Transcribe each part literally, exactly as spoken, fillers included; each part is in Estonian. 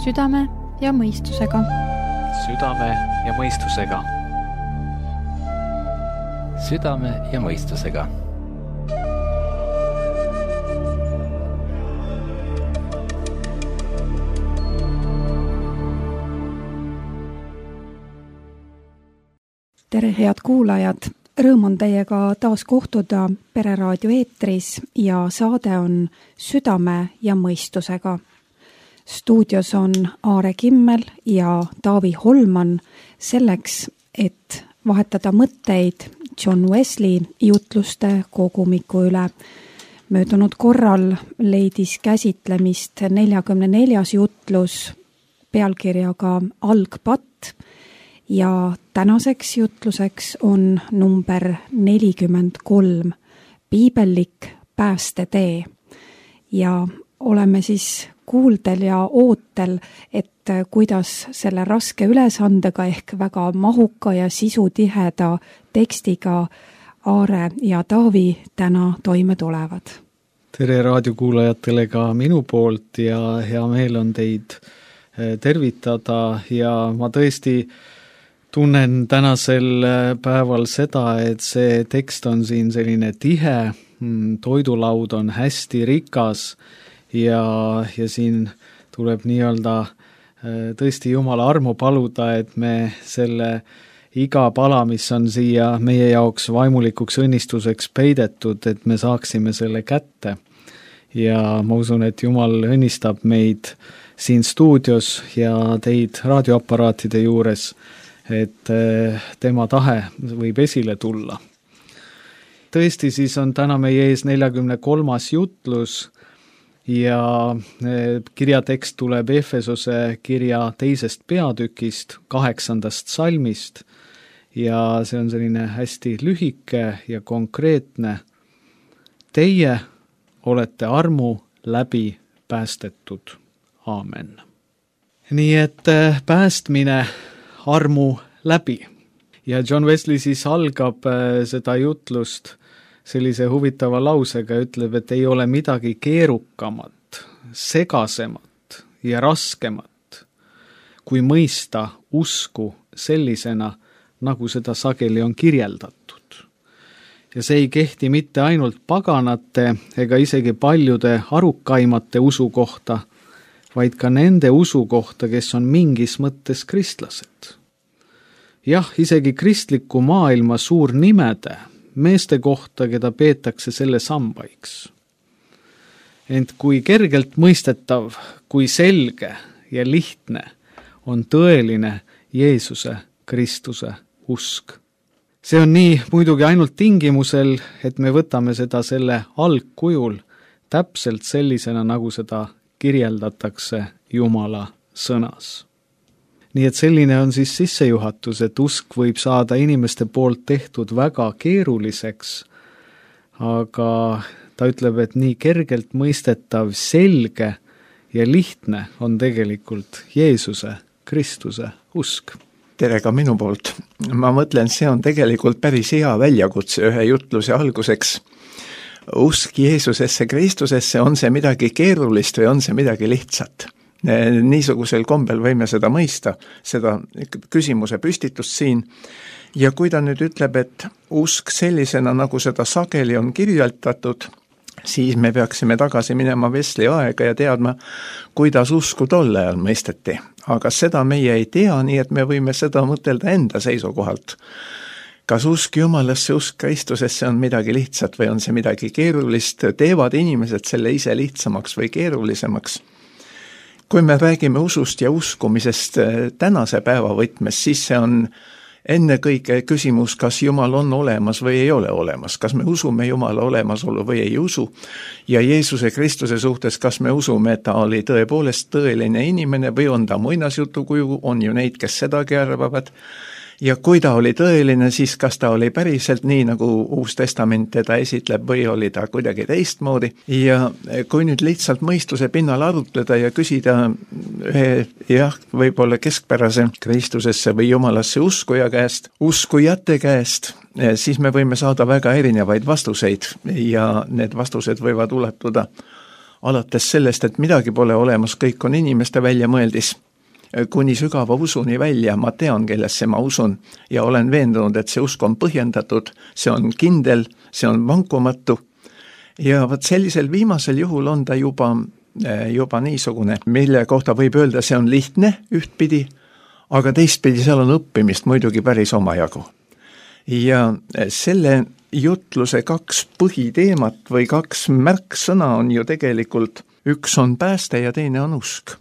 Südame ja mõistusega. Südame ja mõistusega. Südame ja mõistusega. Tere, head kuulajad! Rõõm on teiega taas kohtuda Pereraadio eetris ja saade on Südame ja mõistusega. Stuudios on Aare Kimmel ja Taavi Holman selleks, et vahetada mõtteid John Wesley jutluste kogumiku üle. Möödunud korral leidis käsitlemist neljakümne neljas jutlus pealkirjaga Algpatt ja tänaseks jutluseks on number nelikümmend kolm, piibellik päästetee. Ja oleme siis kuuldel ja ootel, et kuidas selle raske ülesandega ehk väga mahuka ja sisutiheda tekstiga Aare ja Taavi täna toime tulevad. Tere raadiokuulajatele ka minu poolt ja hea meel on teid tervitada ja ma tõesti tunnen tänasel päeval seda, et see tekst on siin selline tihe, toidulaud on hästi rikas ja, ja siin tuleb nii-öelda tõesti Jumala armu paluda, et me selle iga pala, mis on siia meie jaoks vaimulikuks õnnistuseks peidetud, et me saaksime selle kätte. Ja ma usun, et Jumal õnnistab meid siin stuudios ja teid raadioaparaatide juures, et tema tahe võib esile tulla. Tõesti, siis on täna meie ees neljakümne kolmas jutlus ja kirjatekst tuleb Efesose kirja teisest peatükist, kaheksandast salmist ja see on selline hästi lühike ja konkreetne. Teie olete armu läbi päästetud. Aamen. Nii et päästmine armu läbi. Ja John Wesley siis algab seda jutlust sellise huvitava lausega, ütleb, et ei ole midagi keerukamat, segasemat ja raskemat, kui mõista usku sellisena, nagu seda sageli on kirjeldatud. Ja see ei kehti mitte ainult paganate ega isegi paljude arukaimate usu kohta, vaid ka nende usu kohta, kes on mingis mõttes kristlased. Jah, isegi kristliku maailma suur nimede, meeste kohta, keda peetakse selle sambaiks. Ent kui kergelt mõistetav, kui selge ja lihtne on tõeline Jeesuse Kristuse usk. See on nii muidugi ainult tingimusel, et me võtame seda selle algkujul täpselt sellisena, nagu seda kirjeldatakse Jumala sõnas. Nii et selline on siis sissejuhatus, et usk võib saada inimeste poolt tehtud väga keeruliseks, aga ta ütleb, et nii kergelt mõistetav, selge ja lihtne on tegelikult Jeesuse Kristuse usk. Tere ka minu poolt. Ma mõtlen, see on tegelikult päris hea väljakutse ühe jutluse alguseks. Usk Jeesusesse Kristusesse, on see midagi keerulist või on see midagi lihtsat? Niisugusel kombel võime seda mõista, seda küsimuse püstitust siin. Ja kui ta nüüd ütleb, et usk sellisena, nagu seda sageli on kirjeldatud, siis me peaksime tagasi minema Wesley aega ja teadma, kuidas usku tolle ajal mõisteti. Aga seda meie ei tea, nii et me võime seda mõtelda enda seisukohalt. Kas usk Jumalasse, usk Kristusesse on midagi lihtsat või on see midagi keerulist? Teevad inimesed selle ise lihtsamaks või keerulisemaks? Kui me räägime usust ja uskumisest tänase päeva võtmes, siis see on enne kõige küsimus, kas Jumal on olemas või ei ole olemas. Kas me usume Jumala olemasolu või ei usu? Ja Jeesuse Kristuse suhtes, kas me usume, et ta oli tõepoolest tõeline inimene või on ta muinasjutukuju, on ju neid, kes sedagi arvavad. Ja kui ta oli tõeline, siis kas ta oli päriselt nii, nagu Uus Testament teda esitleb või oli ta kuidagi teistmoodi. Ja kui nüüd lihtsalt mõistuse pinnal arutleda ja küsida ühe, jah, võib-olla keskpärase Kristusesse või Jumalasse uskuja käest, uskujate käest, siis me võime saada väga erinevaid vastuseid ja need vastused võivad ulatuda alates sellest, et midagi pole olemas, kõik on inimeste väljamõeldis, kuni sügava usuni välja, ma tean, kellesse ma usun ja olen veendunud, et see usk on põhjendatud, see on kindel, see on vankumatu ja võt sellisel viimasel juhul on ta juba, juba niisugune, mille kohta võib öelda, see on lihtne ühtpidi, aga teistpidi seal on õppimist muidugi päris omajagu. Ja selle jutluse kaks põhiteemat või kaks märksõna on ju tegelikult, üks on pääste ja teine on usk.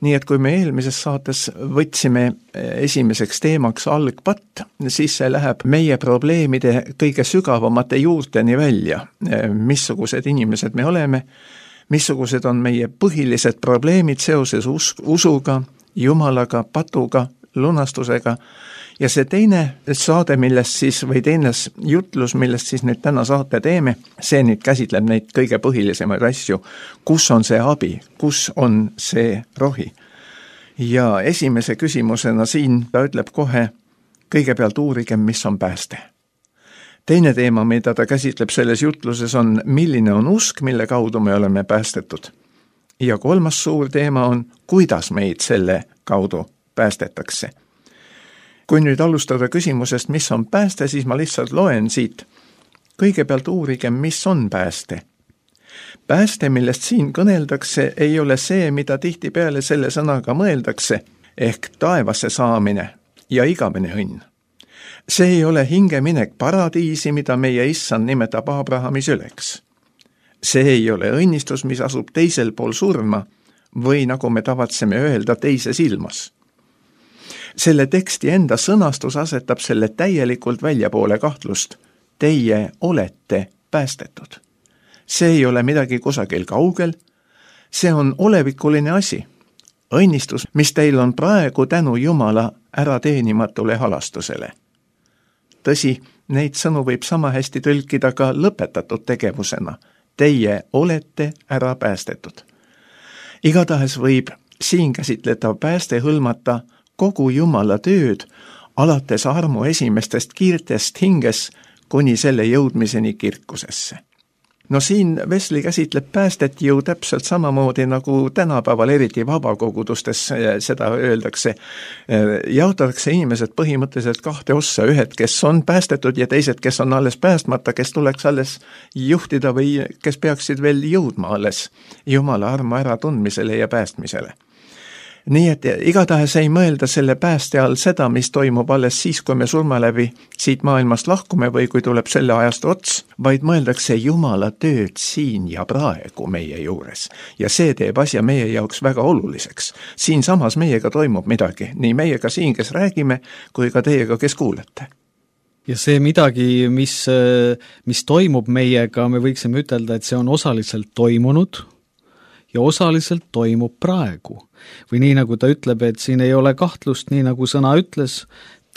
Nii et kui me eelmises saates võtsime esimeseks teemaks algpatt, siis see läheb meie probleemide kõige sügavamate juurteni välja, missugused inimesed me oleme, missugused on meie põhilised probleemid seoses us- usuga, Jumalaga, patuga, lunastusega ja see teine saade, millest siis, või teine jutlus, millest siis nüüd täna saate teeme, see nüüd käsitleb neid kõige põhilisemaid asju, kus on see abi, kus on see rohi. Ja esimese küsimusena siin ta ütleb kohe, kõigepealt uurigem, mis on pääste. Teine teema, mida ta käsitleb selles jutluses on, milline on usk, mille kaudu me oleme päästetud. Ja kolmas suur teema on, kuidas meid selle kaudu päästetakse. Kui nüüd alustada küsimusest, mis on pääste, siis ma lihtsalt loen siit. Kõigepealt uurigem, mis on pääste. Pääste, millest siin kõneldakse, ei ole see, mida tihtipeale selle sõnaga mõeldakse, ehk taevasse saamine ja igavene õnn. See ei ole hingeminek paradiisi, mida meie issand nimetab Abrahami süleks. See ei ole õnnistus, mis asub teisel pool surma või nagu me tavatseme öelda teises ilmas. Selle teksti enda sõnastus asetab selle täielikult väljapoole kahtlust. Teie olete päästetud. See ei ole midagi kusagil kaugel, see on olevikuline asi. Õnnistus, mis teil on praegu tänu Jumala ärateenimatule halastusele. Tõsi, neid sõnu võib sama hästi tõlkida ka lõpetatud tegevusena. Teie olete ära päästetud. Igatahes võib siin käsitletav pääste hõlmata kogu Jumala tööd, alates armu esimestest kiirtest hinges kuni selle jõudmiseni kirkusesse. No siin Vesli käsitleb päästet ju täpselt samamoodi nagu tänapäeval eriti vabakogudustes seda öeldakse. Jaotatakse inimesed põhimõtteliselt kahte ossa, ühed, kes on päästetud ja teised, kes on alles päästmata, kes tuleks alles juhtida või kes peaksid veel jõudma alles Jumala armu äratundmisele ja päästmisele. Nii et igatahes ei mõelda selle pääste all seda, mis toimub alles siis, kui me surma läbi siit maailmast lahkume või kui tuleb selle ajast ots, vaid mõeldakse Jumala tööd siin ja praegu meie juures. Ja see teeb asja meie jaoks väga oluliseks. Siin samas meiega toimub midagi, nii meiega siin, kes räägime, kui ka teiega, kes kuulete. Ja see midagi, mis, mis toimub meiega, me võiksime ütelda, et see on osaliselt toimunud ja osaliselt toimub praegu. Või nii nagu ta ütleb, et siin ei ole kahtlust, nii nagu sõna ütles,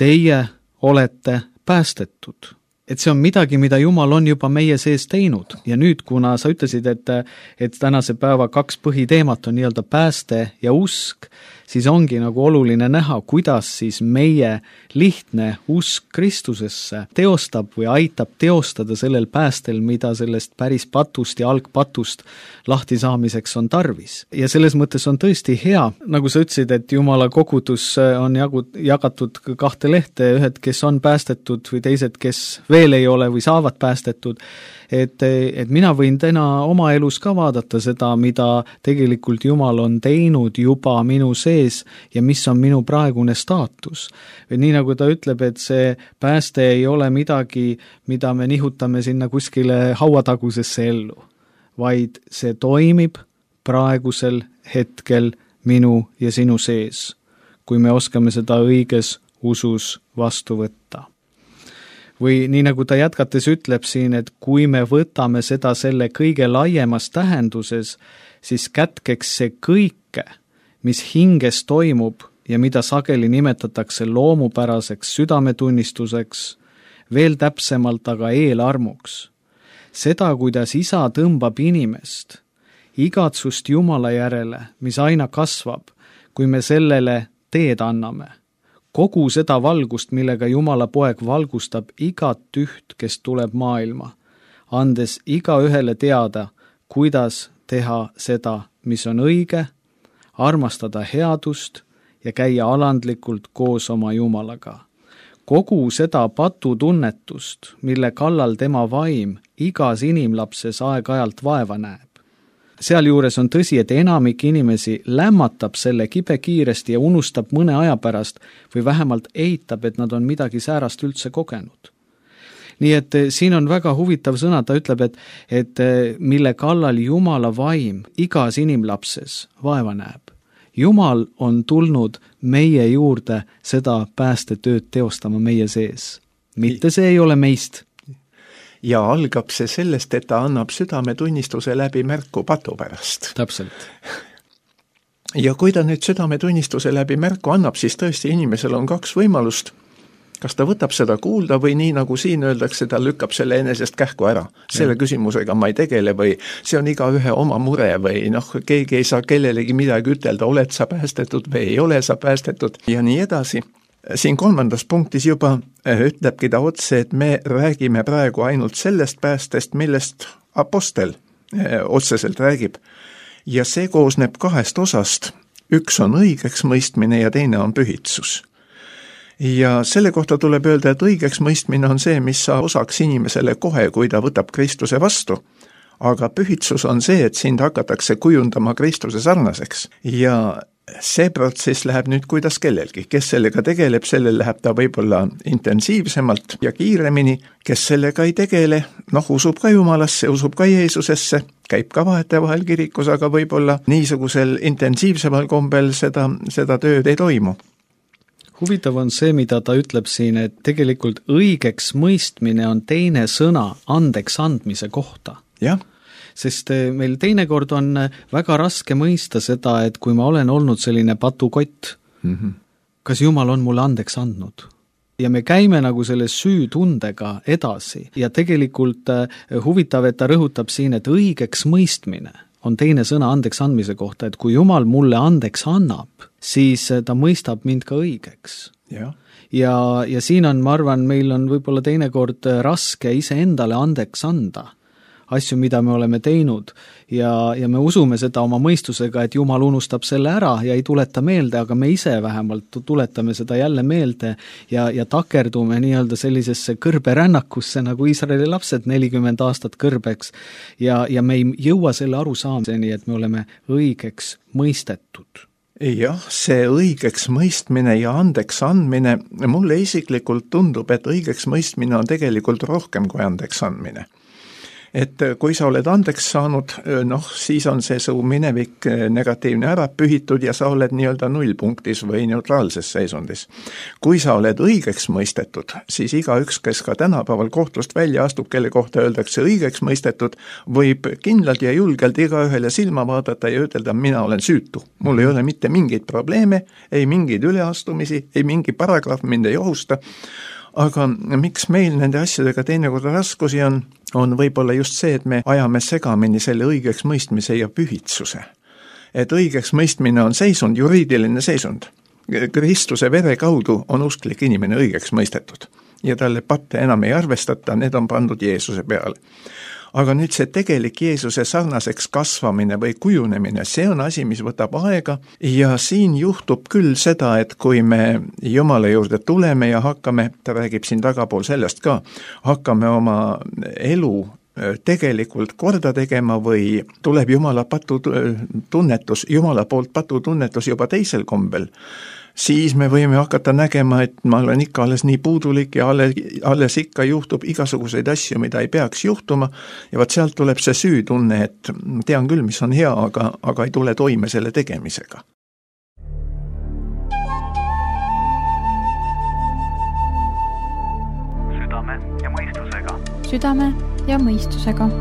teie olete päästetud. Et see on midagi, mida Jumal on juba meie sees teinud. Ja nüüd, kuna sa ütlesid, et, et tänase päeva kaks põhiteemat on nii-öelda pääste ja usk, siis ongi nagu oluline näha, kuidas siis meie lihtne usk Kristusesse teostab või aitab teostada sellel päästel, mida sellest päris patust ja algpatust lahti saamiseks on tarvis. Ja selles mõttes on tõesti hea, nagu sa ütlesid, et Jumala kogudus on jagatud kahte lehte, ühed, kes on päästetud või teised, kes veel ei ole või saavad päästetud, et, et mina võin täna oma elus ka vaadata seda, mida tegelikult Jumal on teinud juba minu sees ja mis on minu praegune staatus. Või nii nagu ta ütleb, et see pääste ei ole midagi, mida me nihutame sinna kuskile hauatagusesse ellu, vaid see toimib praegusel hetkel minu ja sinu sees, kui me oskame seda õiges usus vastu võtta. Või nii nagu ta jätkates ütleb siin, et kui me võtame seda selle kõige laiemas tähenduses, siis kätkeks see kõike, mis hinges toimub ja mida sageli nimetatakse loomupäraseks südametunnistuseks, veel täpsemalt aga eelarmuks. Seda, kuidas isa tõmbab inimest, igatsust Jumala järele, mis aina kasvab, kui me sellele teed anname. Kogu seda valgust, millega Jumala poeg valgustab igat üht, kes tuleb maailma, andes iga ühele teada, kuidas teha seda, mis on õige, armastada headust ja käia alandlikult koos oma Jumalaga. Kogu seda patutunnetust, mille kallal tema vaim igas inimlapses aeg-ajalt vaeva näeb. Sealjuures on tõsi, et enamik inimesi lämmatab selle kibe kiiresti ja unustab mõne aja pärast või vähemalt eitab, et nad on midagi säärast üldse kogenud. Nii et siin on väga huvitav sõna, ta ütleb, et, et mille kallal Jumala vaim igas inimlapses vaeva näeb. Jumal on tulnud meie juurde seda päästetööd teostama meie sees. Mitte see ei ole meist. Ja algab see sellest, et ta annab südametunnistuse läbi märku patu pärast. Täpselt. Ja kui ta nüüd südametunnistuse läbi märku annab, siis tõesti inimesel on kaks võimalust. Kas ta võtab seda kuulda või nii nagu siin öeldakse, ta lükkab selle enesest kähku ära. Selle ja. Küsimusega ma ei tegele või see on iga ühe oma mure või noh, keegi ei saa kellelegi midagi ütelda, oled sa päästetud või ei ole sa päästetud ja nii edasi. Siin kolmandas punktis juba ütlebki ta otse, et me räägime praegu ainult sellest päästest, millest apostel otseselt räägib. Ja see koosneb kahest osast. Üks on õigeks mõistmine ja teine on pühitsus. Ja selle kohta tuleb öelda, et õigeks mõistmine on see, mis saab osaks inimesele kohe, kui ta võtab Kristuse vastu. Aga pühitsus on see, et sind hakatakse kujundama Kristuse sarnaseks. Ja see protsess läheb nüüd kuidas kellelgi. Kes sellega tegeleb, sellel läheb ta võib-olla intensiivsemalt ja kiiremini. Kes sellega ei tegele, noh, usub ka Jumalasse, usub ka Jeesusesse, käib ka vahetevahel vahel kirikus, aga võib-olla niisugusel intensiivsemal kombel seda, seda tööd ei toimu. Huvitav on see, mida ta ütleb siin, et tegelikult õigeks mõistmine on teine sõna andeks andmise kohta. Jah. Sest meil teinekord on väga raske mõista seda, et kui ma olen olnud selline patukott, mm-hmm. kas Jumal on mulle andeks andnud? Ja me käime nagu selle süütundega edasi ja tegelikult huvitav, et ta rõhutab siin, et õigeks mõistmine on teine sõna andeks andmise kohta, et kui Jumal mulle andeks annab, siis ta mõistab mind ka õigeks. Ja. Ja, ja siin on, ma arvan, meil on võib-olla teinekord raske ise endale andeks anda asju, mida me oleme teinud ja, ja me usume seda oma mõistusega, et Jumal unustab selle ära ja ei tuleta meelde, aga me ise vähemalt tuletame seda jälle meelde ja, ja takerdume nii-öelda sellisesse kõrberännakusse nagu Iisraeli lapsed nelikümmend aastat kõrbeks ja, ja me ei jõua selle arusaamiseni, et me oleme õigeks mõistetud. Jah, see õigeks mõistmine ja andeks andmine, mulle isiklikult tundub, et õigeks mõistmine on tegelikult rohkem kui andeks andmine. Et kui sa oled andeks saanud, noh, siis on see su minevik negatiivne ära pühitud ja sa oled nii-öelda nullpunktis või neutraalses seisundis. Kui sa oled õigeks mõistetud, siis igaüks, kes ka tänapäeval kohtust välja astub, kelle kohta öeldakse õigeks mõistetud, võib kindlalt ja julgelt igaühele silma vaadata ja ütelda, mina olen süütu. Mul ei ole mitte mingeid probleeme, ei mingeid üleastumisi, ei mingi paragrahv mind ei ohusta. Aga miks meil nende asjadega teinekord raskusi on, on võib-olla just see, et me ajame segamini selle õigeks mõistmise ja pühitsuse. Et õigeks mõistmine on seisund, juriidiline seisund. Kristuse vere kaudu on usklik inimene õigeks mõistetud ja talle patte enam ei arvestata, need on pandud Jeesuse peale. Aga nüüd see tegelik Jeesuse sarnaseks kasvamine või kujunemine, see on asi, mis võtab aega ja siin juhtub küll seda, et kui me Jumala juurde tuleme ja hakkame, ta räägib siin tagapool sellest ka, hakkame oma elu tegelikult korda tegema või tuleb Jumala patutunnetus, Jumala poolt patutunnetus juba teisel kombel, siis me võime hakata nägema, et ma olen ikka alles nii puudulik ja alles, alles ikka juhtub igasuguseid asju, mida ei peaks juhtuma ja vaat sealt tuleb see süütunne, et tean küll, mis on hea, aga, aga ei tule toime selle tegemisega. Südame ja mõistusega. Südame ja mõistusega.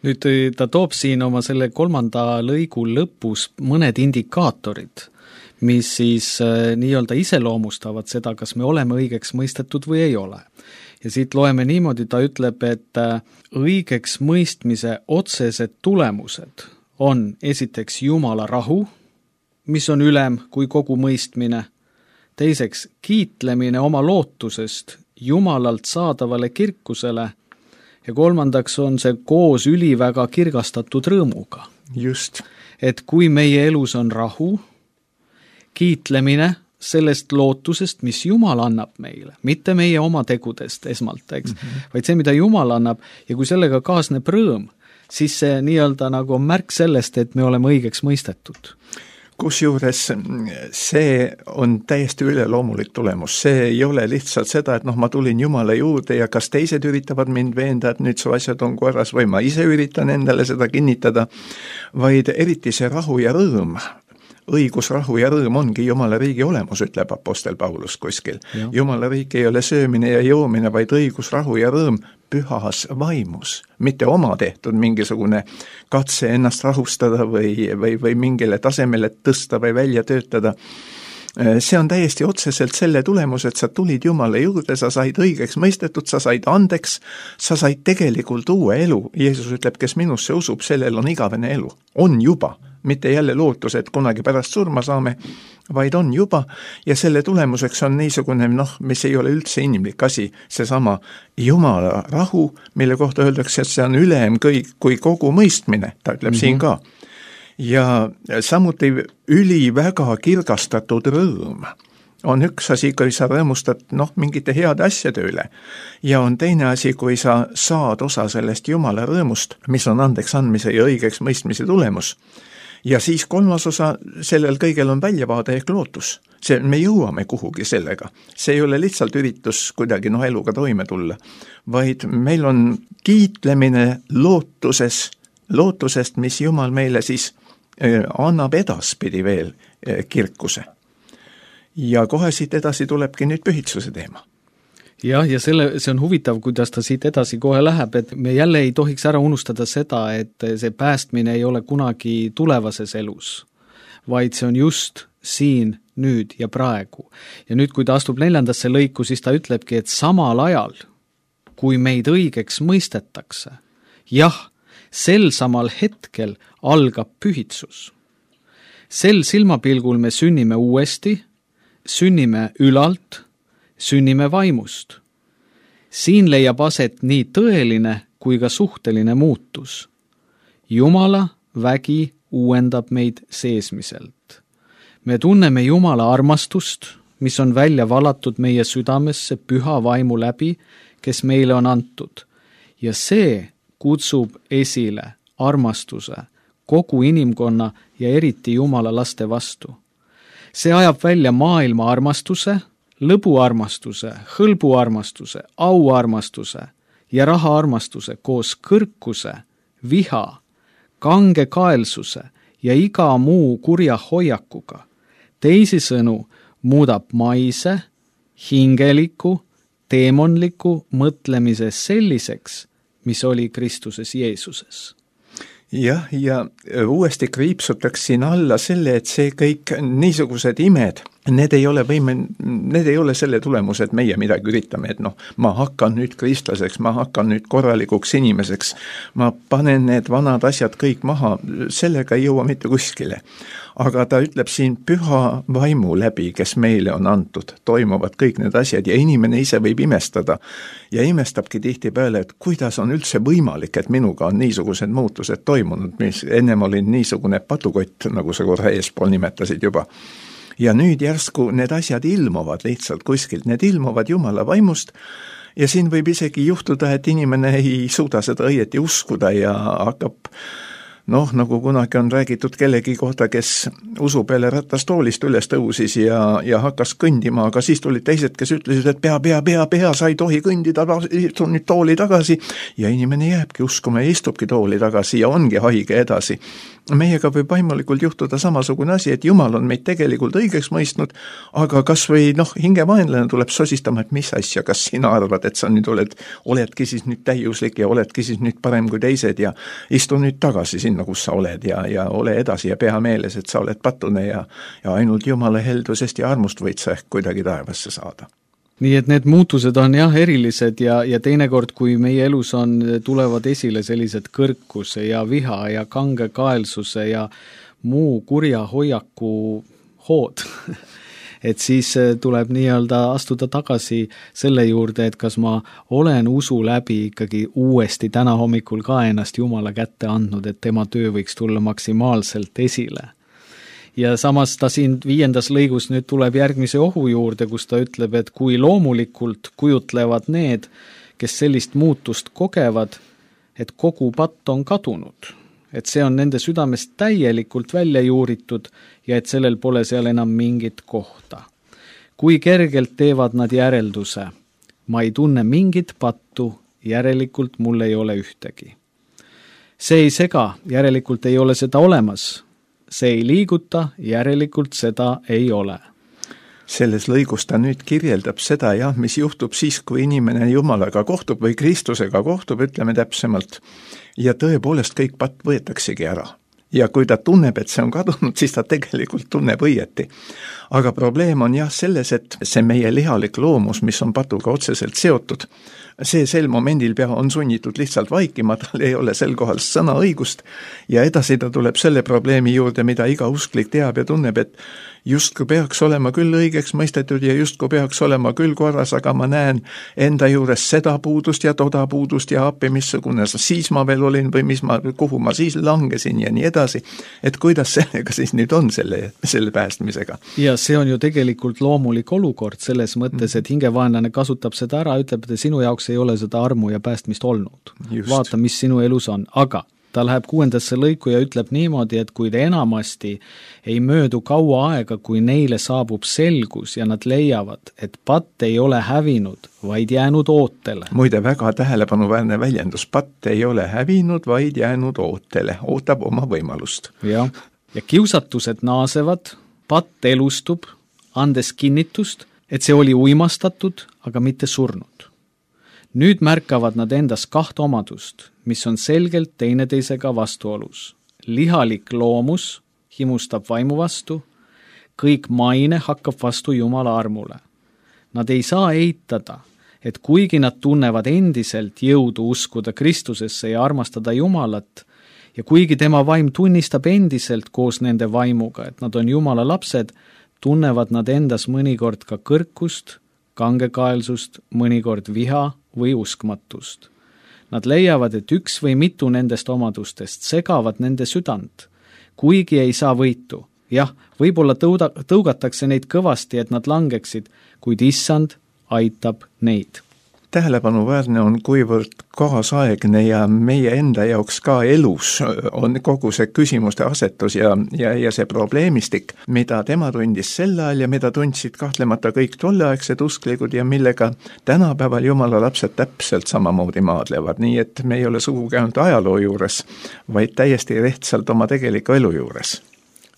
Nüüd ta toob siin oma selle kolmanda lõigu lõpus mõned indikaatorid, mis siis nii-öelda iseloomustavad seda, kas me oleme õigeks mõistetud või ei ole. Ja siit loeme niimoodi, ta ütleb, et õigeks mõistmise otsesed tulemused on esiteks Jumala rahu, mis on ülem kui kogu mõistmine, teiseks kiitlemine oma lootusest Jumalalt saadavale kirkusele ja kolmandaks on see koos üliväga kirgastatud rõõmuga. Just. Et kui meie elus on rahu, kiitlemine sellest lootusest, mis Jumal annab meile, mitte meie oma tegudest esmalt, eks, mm-hmm. vaid see, mida Jumal annab, ja kui sellega kaasneb rõõm, siis see nii-öelda nagu on märk sellest, et me oleme õigeks mõistetud. Kusjuures see on täiesti üleloomulik tulemus. See ei ole lihtsalt seda, et noh, ma tulin Jumala juurde ja kas teised üritavad mind veenda, et nüüd su asjad on korras või ma ise üritan endale seda kinnitada, vaid eriti see rahu ja rõõm. Õigus, rahu ja rõõm ongi Jumala riigi olemus, ütleb apostel Paulus kuskil. Ja. Jumala riik ei ole söömine ja joomine, vaid õigus, rahu ja rõõm pühas vaimus, mitte oma tehtud mingisugune katse ennast rahustada või, või, või mingile tasemele tõsta või välja töötada. See on täiesti otseselt selle tulemus, et sa tulid Jumala juurde, sa said õigeks mõistetud, sa said andeks, sa said tegelikult uue elu. Jeesus ütleb, kes minusse usub, sellel on igavene elu. On juba. Mitte jälle lootus, et kunagi pärast surma saame, vaid on juba, ja selle tulemuseks on niisugune, noh, mis ei ole üldse inimlik asi, seesama Jumala rahu, mille kohta öeldakse, et see on ülem kui, kui kogu mõistmine, ta ütleb mm-hmm. siin ka. Ja samuti üliväga kirgastatud rõõm on üks asi, kui sa rõõmustad, noh, mingite heade asjade üle, ja on teine asi, kui sa saad osa sellest Jumala rõõmust, mis on andeks andmise ja õigeks mõistmise tulemus. Ja siis kolmas osa, sellel kõigel on väljavaade ehk lootus. See, me jõuame kuhugi sellega. See ei ole lihtsalt üritus kuidagi noh, eluga toime tulla, vaid meil on kiitlemine lootuses, lootusest, mis Jumal meile siis eh, annab edaspidi veel eh, kirkuse. Ja kohe siit edasi tulebki nüüd pühitsuse teema. Jah, ja selle, see on huvitav, kuidas ta siit edasi kohe läheb, et me jälle ei tohiks ära unustada seda, et see päästmine ei ole kunagi tulevases elus, vaid see on just siin, nüüd ja praegu. Ja nüüd, kui ta astub neljandasse lõiku, siis ta ütlebki, et samal ajal, kui meid õigeks mõistetakse, jah, sel samal hetkel algab pühitsus. Sel silmapilgul me sünnime uuesti, sünnime ülalt, sünnime vaimust. Siin leiab aset nii tõeline kui ka suhteline muutus. Jumala vägi uuendab meid seesmiselt. Me tunneme Jumala armastust, mis on välja valatud meie südamesse püha vaimu läbi, kes meile on antud. Ja see kutsub esile armastuse kogu inimkonna ja eriti Jumala laste vastu. See ajab välja maailma armastuse, lõbuarmastuse, hõlbuarmastuse, auarmastuse ja rahaarmastuse koos kõrkuse, viha, kange kaelsuse ja iga muu kurja hoiakuga. Teisisõnu muudab maise, hingeliku, teemonliku mõtlemise selliseks, mis oli Kristuses Jeesuses. Jah, ja uuesti kriipsutaks siin alla selle, et see kõik niisugused imed, need ei ole võime, need ei ole selle tulemus, et meie midagi üritame, et noh, ma hakkan nüüd kristlaseks, ma hakkan nüüd korralikuks inimeseks, ma panen need vanad asjad kõik maha, sellega ei jõua mitte kuskile. Aga ta ütleb siin püha vaimu läbi, kes meile on antud, toimuvad kõik need asjad ja inimene ise võib imestada ja imestabki tihtipeale, et kuidas on üldse võimalik, et minuga on niisugused muutused toimunud, mis ennem olin niisugune patukott, nagu sa korra eespool nimetasid juba. Ja nüüd järsku need asjad ilmuvad lihtsalt kuskilt, need ilmuvad Jumala vaimust ja siin võib isegi juhtuda, et inimene ei suuda seda õieti uskuda ja hakkab noh, nagu kunagi on räägitud kellegi kohta, kes usu peale ratastoolist üles tõusis ja, ja hakkas kõndima, aga siis tulid teised, kes ütlesid, et pea, pea, pea, pea, sa ei tohi kõndida, istu nüüd tooli tagasi ja inimene jääbki uskuma ja istubki tooli tagasi ja ongi haige edasi. Meiega võib vaimulikult juhtuda samasugune asi, et Jumal on meid tegelikult õigeks mõistnud, aga kas või noh, hingevaenlane tuleb sosistama, et mis asja, kas sina arvad, et sa nüüd oled, oledki siis nüüd täiuslik ja oledki siis nüüd parem kui teised ja istu nüüd tagasi sinna, kus sa oled ja, ja ole edasi ja pea meeles, et sa oled patune ja, ja ainult Jumala heldusest ja armust võid sa ehk kuidagi taevasse saada. Nii et need muutused on jah erilised ja, ja teinekord, kui meie elus on, tulevad esile sellised kõrkuse ja viha ja kange kaelsuse ja muu kurja hoiaku hood, et siis tuleb nii-öelda astuda tagasi selle juurde, et kas ma olen usu läbi ikkagi uuesti täna hommikul ka ennast Jumala kätte andnud, et tema töö võiks tulla maksimaalselt esile. Ja samas ta siin viiendas lõigus nüüd tuleb järgmise ohu juurde, kus ta ütleb, et kui loomulikult kujutlevad need, kes sellist muutust kogevad, et kogu patt on kadunud, et see on nende südamest täielikult välja juuritud ja et sellel pole seal enam mingit kohta. Kui kergelt teevad nad järelduse, ma ei tunne mingit pattu, järelikult mul ei ole ühtegi. See ei sega, järelikult ei ole seda olemas. See ei liiguta, järelikult seda ei ole. Selles lõigus ta nüüd kirjeldab seda, jah, mis juhtub siis, kui inimene Jumalaga kohtub või Kristusega kohtub, ütleme täpsemalt, ja tõepoolest kõik patt võetaksegi ära. Ja kui ta tunneb, et see on kadunud, siis ta tegelikult tunneb õieti. Aga probleem on jah selles, et see meie lihalik loomus, mis on patuga otseselt seotud, see sel momendil pea on sunnitud lihtsalt vaikima, tal ei ole sel kohal sõna õigust ja edasi ta tuleb selle probleemi juurde, mida iga usklik teab ja tunneb, et justkui peaks olema küll õigeks mõistetud ja justkui peaks olema küll korras, aga ma näen enda juures seda puudust ja toda puudust ja appi, missugune siis ma veel olin või mis ma, kuhu ma siis langesin ja nii edasi, et kuidas sellega siis nüüd on selle, selle päästmisega. Ja see on ju tegelikult loomulik olukord selles mõttes, et hingevaenlane kasutab seda ära, ütleb, et sinu jaoks ei ole seda armu ja päästmist olnud. Just. Vaata, mis sinu elus on, aga ta läheb kuuendasse lõiku ja ütleb niimoodi, et kui enamasti ei möödu kaua aega, kui neile saabub selgus ja nad leiavad, et patt ei ole hävinud, vaid jäänud ootele. Muide, väga tähelepanuväärne väljendus, patt ei ole hävinud, vaid jäänud ootele, ootab oma võimalust. Ja, ja kiusatused naasevad, patt elustub, andes kinnitust, et see oli uimastatud, aga mitte surnud. Nüüd märkavad nad endas kaht omadust, mis on selgelt teineteisega vastuolus. Lihalik loomus himustab vaimu vastu, kõik maine hakkab vastu Jumala armule. Nad ei saa eitada, et kuigi nad tunnevad endiselt jõudu uskuda Kristusesse ja armastada Jumalat, ja kuigi tema vaim tunnistab endiselt koos nende vaimuga, et nad on Jumala lapsed, tunnevad nad endas mõnikord ka kõrkust, kangekaelsust, mõnikord viha või uskmatust. Nad leiavad, et üks või mitu nendest omadustest segavad nende südant, kuigi ei saa võitu. Jah, võib-olla tõuda, tõugatakse neid kõvasti, et nad langeksid, kuid issand aitab neid. Tähelepanuväärne on, kuivõrd kaasaegne ja meie enda jaoks ka elus on kogu see küsimuste asetus ja, ja, ja see probleemistik, mida tema tundis sel ajal ja mida tundsid kahtlemata kõik tolleaegsed usklikud ja millega tänapäeval Jumala lapsed täpselt samamoodi maadlevad, nii et me ei ole sugugi ainult ajaloo juures, vaid täiesti rehtsalt oma tegeliku elu juures.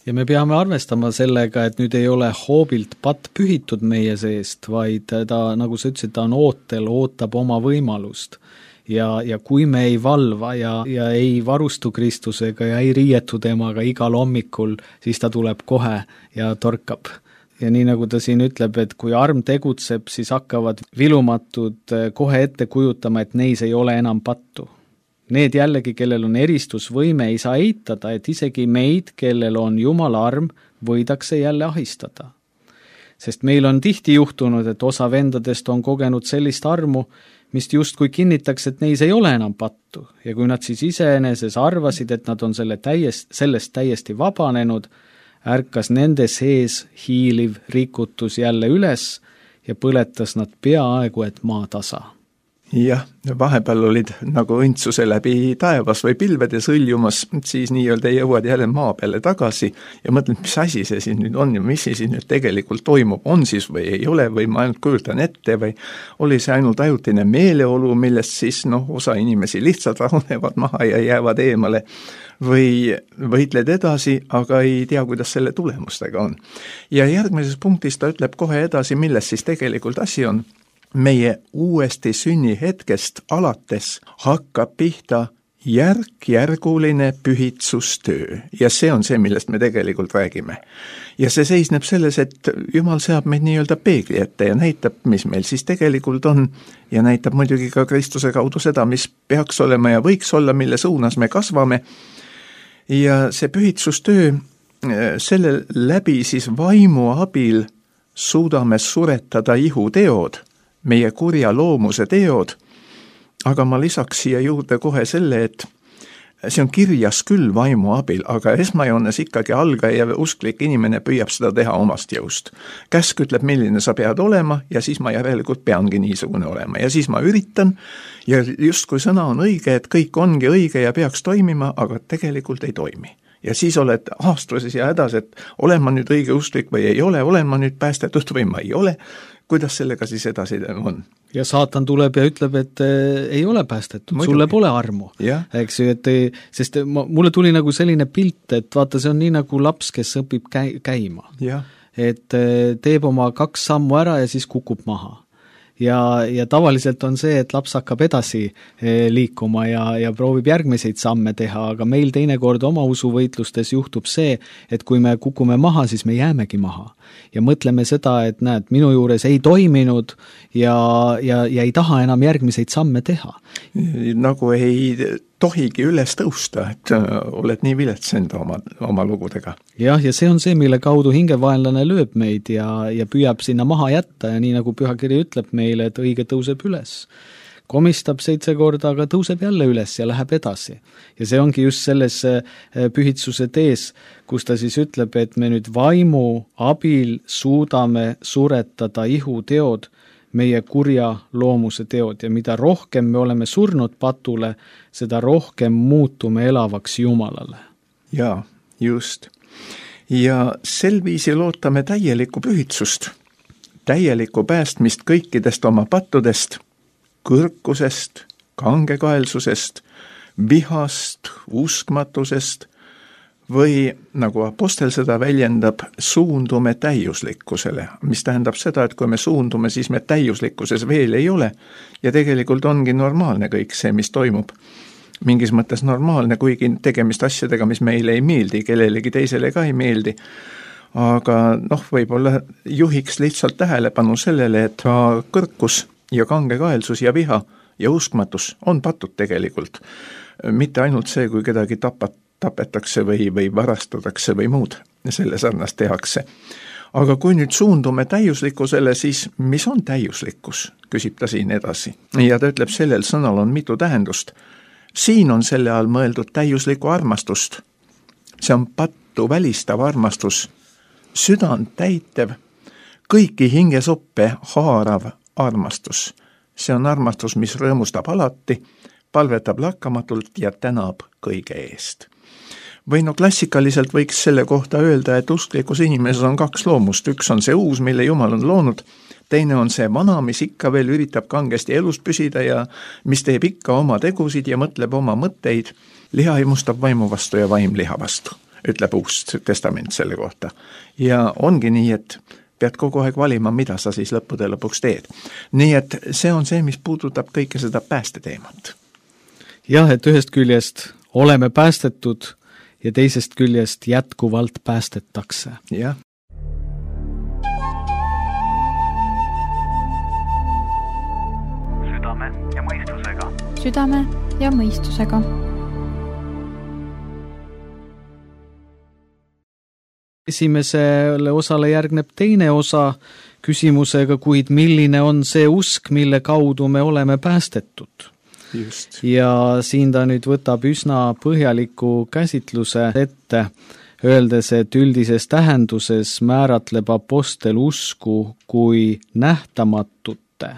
Ja me peame arvestama sellega, et nüüd ei ole hoobilt patt pühitud meie seest, vaid ta, nagu sa ütlesid, ta on ootel, ootab oma võimalust. Ja, ja kui me ei valva ja, ja ei varustu Kristusega ja ei riietu temaga igal hommikul, siis ta tuleb kohe ja torkab. Ja nii nagu ta siin ütleb, et kui arm tegutseb, siis hakkavad vilumatud kohe ette kujutama, et neis ei ole enam pattu. Need jällegi, kellel on eristusvõime, ei saa eitada, et isegi meid, kellel on Jumala arm, võidakse jälle ahistada. Sest meil on tihti juhtunud, et osa vendadest on kogenud sellist armu, mis justkui kinnitaks, et neis ei ole enam pattu. Ja kui nad siis iseeneses arvasid, et nad on selle täiest, sellest täiesti vabanenud, ärkas nende sees hiiliv rikutus jälle üles ja põletas nad peaaegu, et maa tasa. Jah, vahepeal olid nagu õndsuse läbi taevas või pilvede sõljumas, siis nii-öelda jõuad jälle maa peale tagasi ja mõtled, mis asi see siin nüüd on ja mis siin nüüd tegelikult toimub, on siis või ei ole või ma ainult kujutan ette või oli see ainult ajutine meeleolu, millest siis noh, osa inimesi lihtsalt rahunevad maha ja jäävad eemale või võitled edasi, aga ei tea, kuidas selle tulemustega on. Ja järgmises punktis ta ütleb kohe edasi, milles siis tegelikult asi on. Meie uuesti sünni hetkest alates hakkab pihta järk-järguline pühitsustöö ja see on see, millest me tegelikult räägime. Ja see seisneb selles, et Jumal seab meid nii-öelda peegli ette ja näitab, mis meil siis tegelikult on ja näitab muidugi ka Kristuse kaudu seda, mis peaks olema ja võiks olla, mille suunas me kasvame. Ja see pühitsustöö selle läbi siis vaimu abil suudame suretada ihuteod, meie kurja loomuse teod, aga ma lisaks siia juurde kohe selle, et see on kirjas küll vaimu abil, aga esmajoones ikkagi algaja usklik inimene püüab seda teha omast jõust. Käsk ütleb, milline sa pead olema ja siis ma järelikult peangi niisugune olema ja siis ma üritan ja justkui sõna on õige, et kõik ongi õige ja peaks toimima, aga tegelikult ei toimi. Ja siis oled aastuses ja hädas, et olen ma nüüd õige usklik või ei ole, olen ma nüüd päästetud või ma ei ole, kuidas sellega siis edasi on? Ja saatan tuleb ja ütleb, et äh, ei ole päästetud, Muidugi. Sulle pole armu. Eks ju, et ei, sest ma, mulle tuli nagu selline pilt, et vaata, see on nii nagu laps, kes õpib käi, käima. Ja. Et äh, teeb oma kaks sammu ära ja siis kukub maha. Ja, ja tavaliselt on see, et laps hakkab edasi liikuma ja, ja proovib järgmiseid samme teha, aga meil teinekord oma usuvõitlustes juhtub see, et kui me kukume maha, siis me jäämegi maha. Ja mõtleme seda, et näed, minu juures ei toiminud ja, ja, ja ei taha enam järgmiseid samme teha. Nagu ei tohigi üles tõusta, et oled nii viletsend oma, oma lugudega. Jah, ja see on see, mille kaudu hingevaenlane lööb meid ja, ja püüab sinna maha jätta ja nii nagu pühakiri ütleb meile, et õige tõuseb üles. Komistab seitse korda, aga tõuseb jälle üles ja läheb edasi. Ja see ongi just selles pühitsuse tees, kus ta siis ütleb, et me nüüd vaimu abil suudame suretada ihuteod, meie kurja loomuse teod ja mida rohkem me oleme surnud patule, seda rohkem muutume elavaks Jumalale. Jaa, just. Ja sel viisil ootame täielikku pühitsust, täielikku päästmist kõikidest oma pattudest, kõrkusest, kangekaelsusest, vihast, uskmatusest või, nagu apostel seda väljendab, suundume täiuslikkusele, mis tähendab seda, et kui me suundume, siis me täiuslikkuses veel ei ole ja tegelikult ongi normaalne kõik see, mis toimub. Mingis mõttes normaalne, kuigi tegemist asjadega, mis meile ei meeldi, kellelegi teisele ka ei meeldi. Aga noh, võib-olla juhiks lihtsalt tähelepanu sellele, et ka kõrkus ja kangekaelsus ja viha ja uskmatus on patud tegelikult. Mitte ainult see, kui kedagi tapat, tapetakse või, või varastatakse või muud selle sarnast tehakse. Aga kui nüüd suundume täiuslikkusele, siis mis on täiuslikkus, küsib ta siin edasi. Ja ta ütleb, sellel sõnal on mitu tähendust. Siin on selle all mõeldud täiuslikku armastust. See on pattu välistav armastus, südant täitev, kõiki hingesoppe haarav armastus. See on armastus, mis rõõmustab alati, palvetab lakkamatult ja tänab kõige eest. Või no klassikaliselt võiks selle kohta öelda, et usklikus inimeses on kaks loomust. Üks on see uus, mille Jumal on loonud, teine on see vana, mis ikka veel üritab kangesti elus püsida ja mis teeb ikka oma tegusid ja mõtleb oma mõtteid. Liha imustab vaimu vastu ja vaim liha vastu, ütleb uus testament selle kohta. Ja ongi nii, et pead kogu aeg valima, mida sa siis lõppude lõpuks teed. Nii et see on see, mis puudutab kõike seda päästeteemat. Jah, et ühest küljest oleme päästetud ja teisest küljest jätkuvalt päästetakse. Jah. Südame ja mõistusega. Südame ja mõistusega. Esimesele osale järgneb teine osa küsimusega, kuid milline on see usk, mille kaudu me oleme päästetud? Just. Ja siin ta nüüd võtab üsna põhjaliku käsitluse ette, öeldes, et üldises tähenduses määratleb apostel usku kui nähtamatute,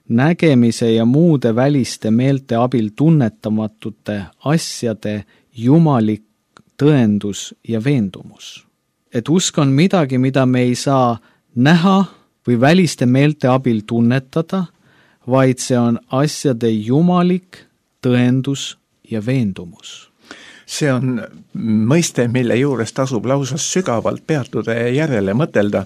nägemise ja muude väliste meelte abil tunnetamatute asjade jumalik tõendus ja veendumus. Et usk on midagi, mida me ei saa näha või väliste meelte abil tunnetada, vaid see on asjade jumalik tõendus ja veendumus. See on mõiste, mille juures tasub lausa sügavalt peatuda ja järele mõtelda.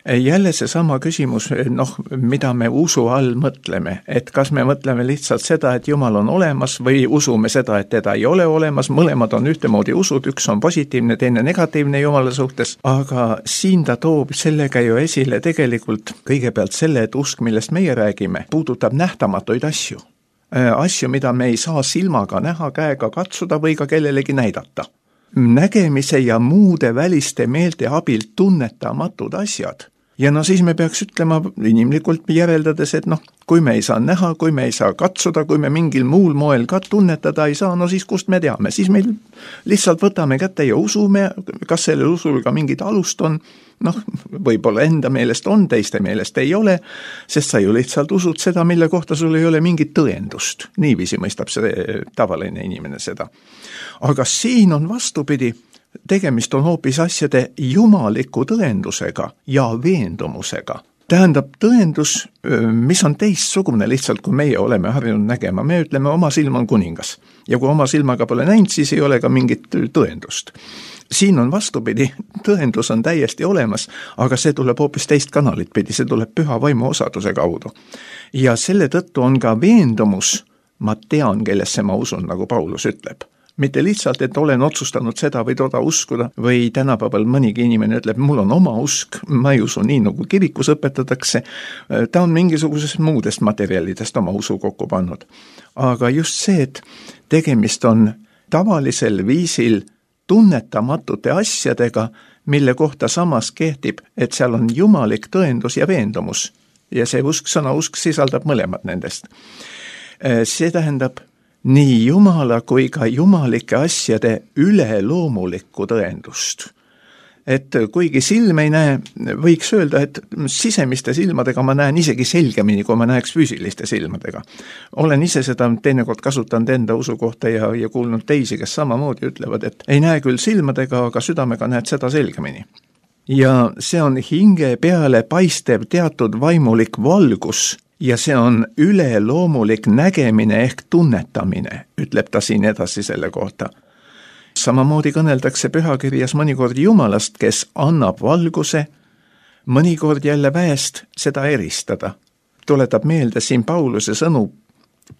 Jälle see sama küsimus, noh, mida me usu all mõtleme, et kas me mõtleme lihtsalt seda, et Jumal on olemas või usume seda, et teda ei ole olemas, mõlemad on ühtemoodi usud, üks on positiivne, teine negatiivne Jumala suhtes, aga siin ta toob sellega ju esile tegelikult kõigepealt selle, et usk, millest meie räägime, puudutab nähtamatuid asju. Asju, mida me ei saa silmaga näha, käega katsuda või ka kellelegi näidata. Nägemise ja muude väliste meelte abil tunnetamatud asjad ja no siis me peaks ütlema inimlikult järeldades, et noh, kui me ei saa näha, kui me ei saa katsuda, kui me mingil muul moel ka tunnetada ei saa, no siis kust me teame, siis meil lihtsalt võtame kätte ja usume, kas sellel usul ka mingit alust on, noh, võib-olla enda meelest on, teiste meelest ei ole, sest sa ju lihtsalt usud seda, mille kohta sul ei ole mingit tõendust. Niiviisi mõistab see tavaline inimene seda. Aga siin on vastupidi, tegemist on hoopis asjade jumaliku tõendusega ja veendumusega. Tähendab tõendus, mis on teistsugune lihtsalt, kui meie oleme harjunud nägema. Me ütleme, oma silm on kuningas. Ja kui oma silmaga pole näinud, siis ei ole ka mingit tõendust. Siin on vastupidi, tõendus on täiesti olemas, aga see tuleb hoopis teist kanalit pidi, see tuleb püha vaimu osaduse kaudu. Ja selle tõttu on ka veendumus, ma tean, kellesse ma usun, nagu Paulus ütleb. Mitte lihtsalt, et olen otsustanud seda või toda uskuda, või tänapäeval mõnigi inimene ütleb, mul on oma usk, ma ei usu nii, nagu kirikus õpetatakse, ta on mingisugusest muudest materjalidest oma usu kokku pannud. Aga just see, et tegemist on tavalisel viisil tunnetamatute asjadega, mille kohta samas kehtib, et seal on jumalik tõendus ja veendumus. Ja see usk, sõna usk sisaldab mõlemad nendest. See tähendab nii jumala kui ka jumalike asjade üleloomulikku tõendust. Et kuigi silm ei näe, võiks öelda, et sisemiste silmadega ma näen isegi selgemini, kui ma näeks füüsiliste silmadega. Olen ise seda teinekord kasutanud enda usu kohta ja, ja kuulnud teisi, kes samamoodi ütlevad, et ei näe küll silmadega, aga südamega näed seda selgemini. Ja see on hinge peale paistev teatud vaimulik valgus, ja see on üleloomulik nägemine ehk tunnetamine, ütleb ta siin edasi selle kohta. Samamoodi kõneldakse pühakirjas mõnikord Jumalast, kes annab valguse, mõnikord jälle väest seda eristada. Tuletab meelde siin Pauluse sõnu,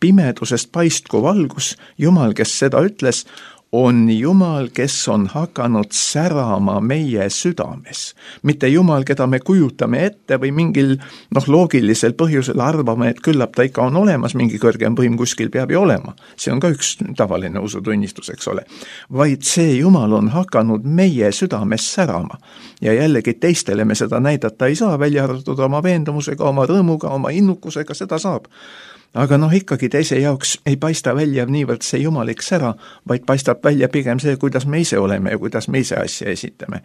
pimedusest paistku valgus, Jumal, kes seda ütles, on Jumal, kes on hakanud särama meie südames. Mitte Jumal, keda me kujutame ette või mingil noh, loogilisel põhjusel arvame, et küllap ta ikka on olemas, mingi kõrgem võim kuskil peab ju olema. See on ka üks tavaline usutunnistus, eks ole. Vaid see Jumal on hakanud meie südames särama. Ja jällegi teistele me seda näidata ei saa, välja arvatud oma veendumusega, oma rõõmuga, oma innukusega, seda saab. Aga noh, ikkagi teise jaoks ei paista välja niivõrd see jumalik sära, vaid paistab välja pigem see, kuidas me ise oleme ja kuidas me ise asja esitame.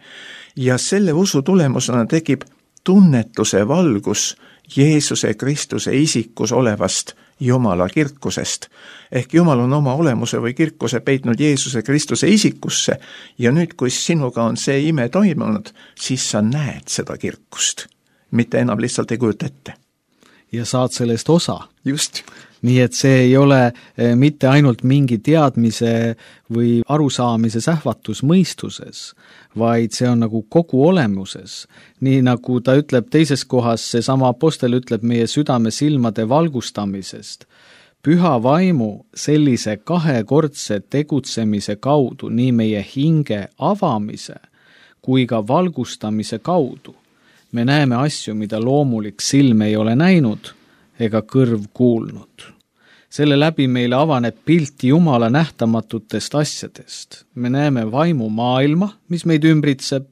Ja selle usu tulemusena tekib tunnetuse valgus Jeesuse Kristuse isikus olevast Jumala kirkusest. Ehk Jumal on oma olemuse või kirkuse peitnud Jeesuse Kristuse isikusse ja nüüd, kui sinuga on see ime toimunud, siis sa näed seda kirkust. Mitte enam lihtsalt ei kujuta ette. Ja saad sellest osa. Just. Nii et see ei ole mitte ainult mingi teadmise või arusaamise sähvatus mõistuses, vaid see on nagu kogu olemuses. Nii nagu ta ütleb teises kohas, see sama apostel ütleb meie südame silmade valgustamisest. Püha vaimu sellise kahekordse tegutsemise kaudu, nii meie hinge avamise kui ka valgustamise kaudu. Me näeme asju, mida loomulik silm ei ole näinud ega kõrv kuulnud. Selle läbi meile avaneb pilt Jumala nähtamatutest asjadest. Me näeme vaimu maailma, mis meid ümbritseb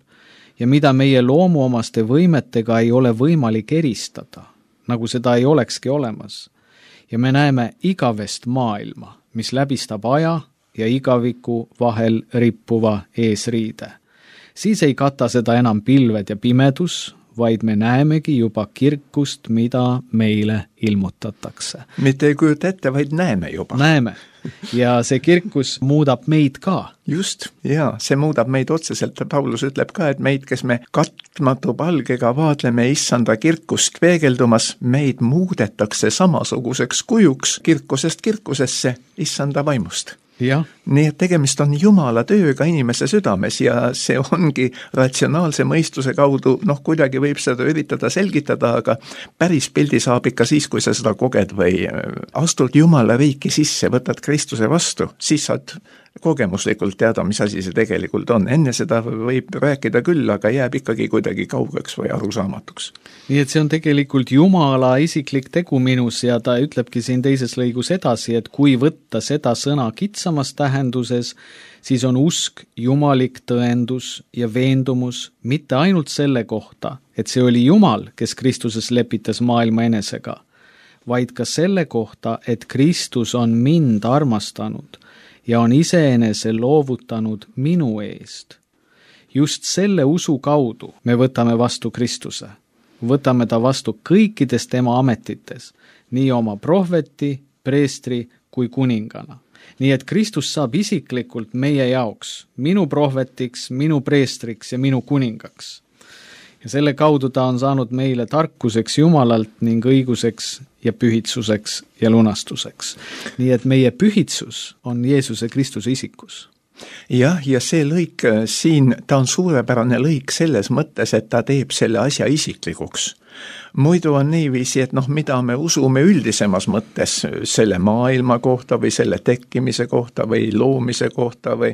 ja mida meie loomuomaste võimetega ei ole võimalik eristada, nagu seda ei olekski olemas. Ja me näeme igavest maailma, mis läbistab aja ja igaviku vahel rippuva eesriide. Siis ei kata seda enam pilved ja pimedus, vaid me näemegi juba kirkust, mida meile ilmutatakse. Mitte ei kujuta ette, vaid näeme juba. Näeme. Ja see kirkus muudab meid ka. Just, ja see muudab meid otseselt. Paulus ütleb ka, et meid, kes me katmatu palgega vaadleme issanda kirkust peegeldumas, meid muudetakse samasuguseks kujuks kirkusest kirkusesse issanda vaimust. Ja. Nii et tegemist on Jumala tööga inimese südames ja see ongi ratsionaalse mõistuse kaudu, noh kuidagi võib seda üritada selgitada, aga päris pildi saab ikka siis, kui sa seda koged või astud Jumala riiki sisse, võtad Kristuse vastu, siis saad kogemuslikult teada, mis asi see tegelikult on. Enne seda võib rääkida küll, aga jääb ikkagi kuidagi kaugeks või arusaamatuks. Nii et see on tegelikult Jumala isiklik tegu minus ja ta ütlebki siin teises lõigus edasi, et kui võtta seda sõna kitsamast tähendusest, tähenduses, siis on usk jumalik tõendus ja veendumus mitte ainult selle kohta, et see oli Jumal, kes Kristuses lepitas maailma enesega, vaid ka selle kohta, et Kristus on mind armastanud ja on iseenese loovutanud minu eest. Just selle usu kaudu me võtame vastu Kristuse. Võtame ta vastu kõikides tema ametites, nii oma prohveti, preestri kui kuningana. Nii et Kristus saab isiklikult meie jaoks, minu prohvetiks, minu preestriks ja minu kuningaks. Ja selle kaudu ta on saanud meile tarkuseks Jumalalt ning õiguseks ja pühitsuseks ja lunastuseks. Nii et meie pühitsus on Jeesuse Kristuse isikus. Jah, ja see lõik siin, ta on suurepärane lõik selles mõttes, et ta teeb selle asja isiklikuks. Muidu on niiviisi, et noh, mida me usume üldisemas mõttes selle maailma kohta või selle tekkimise kohta või loomise kohta või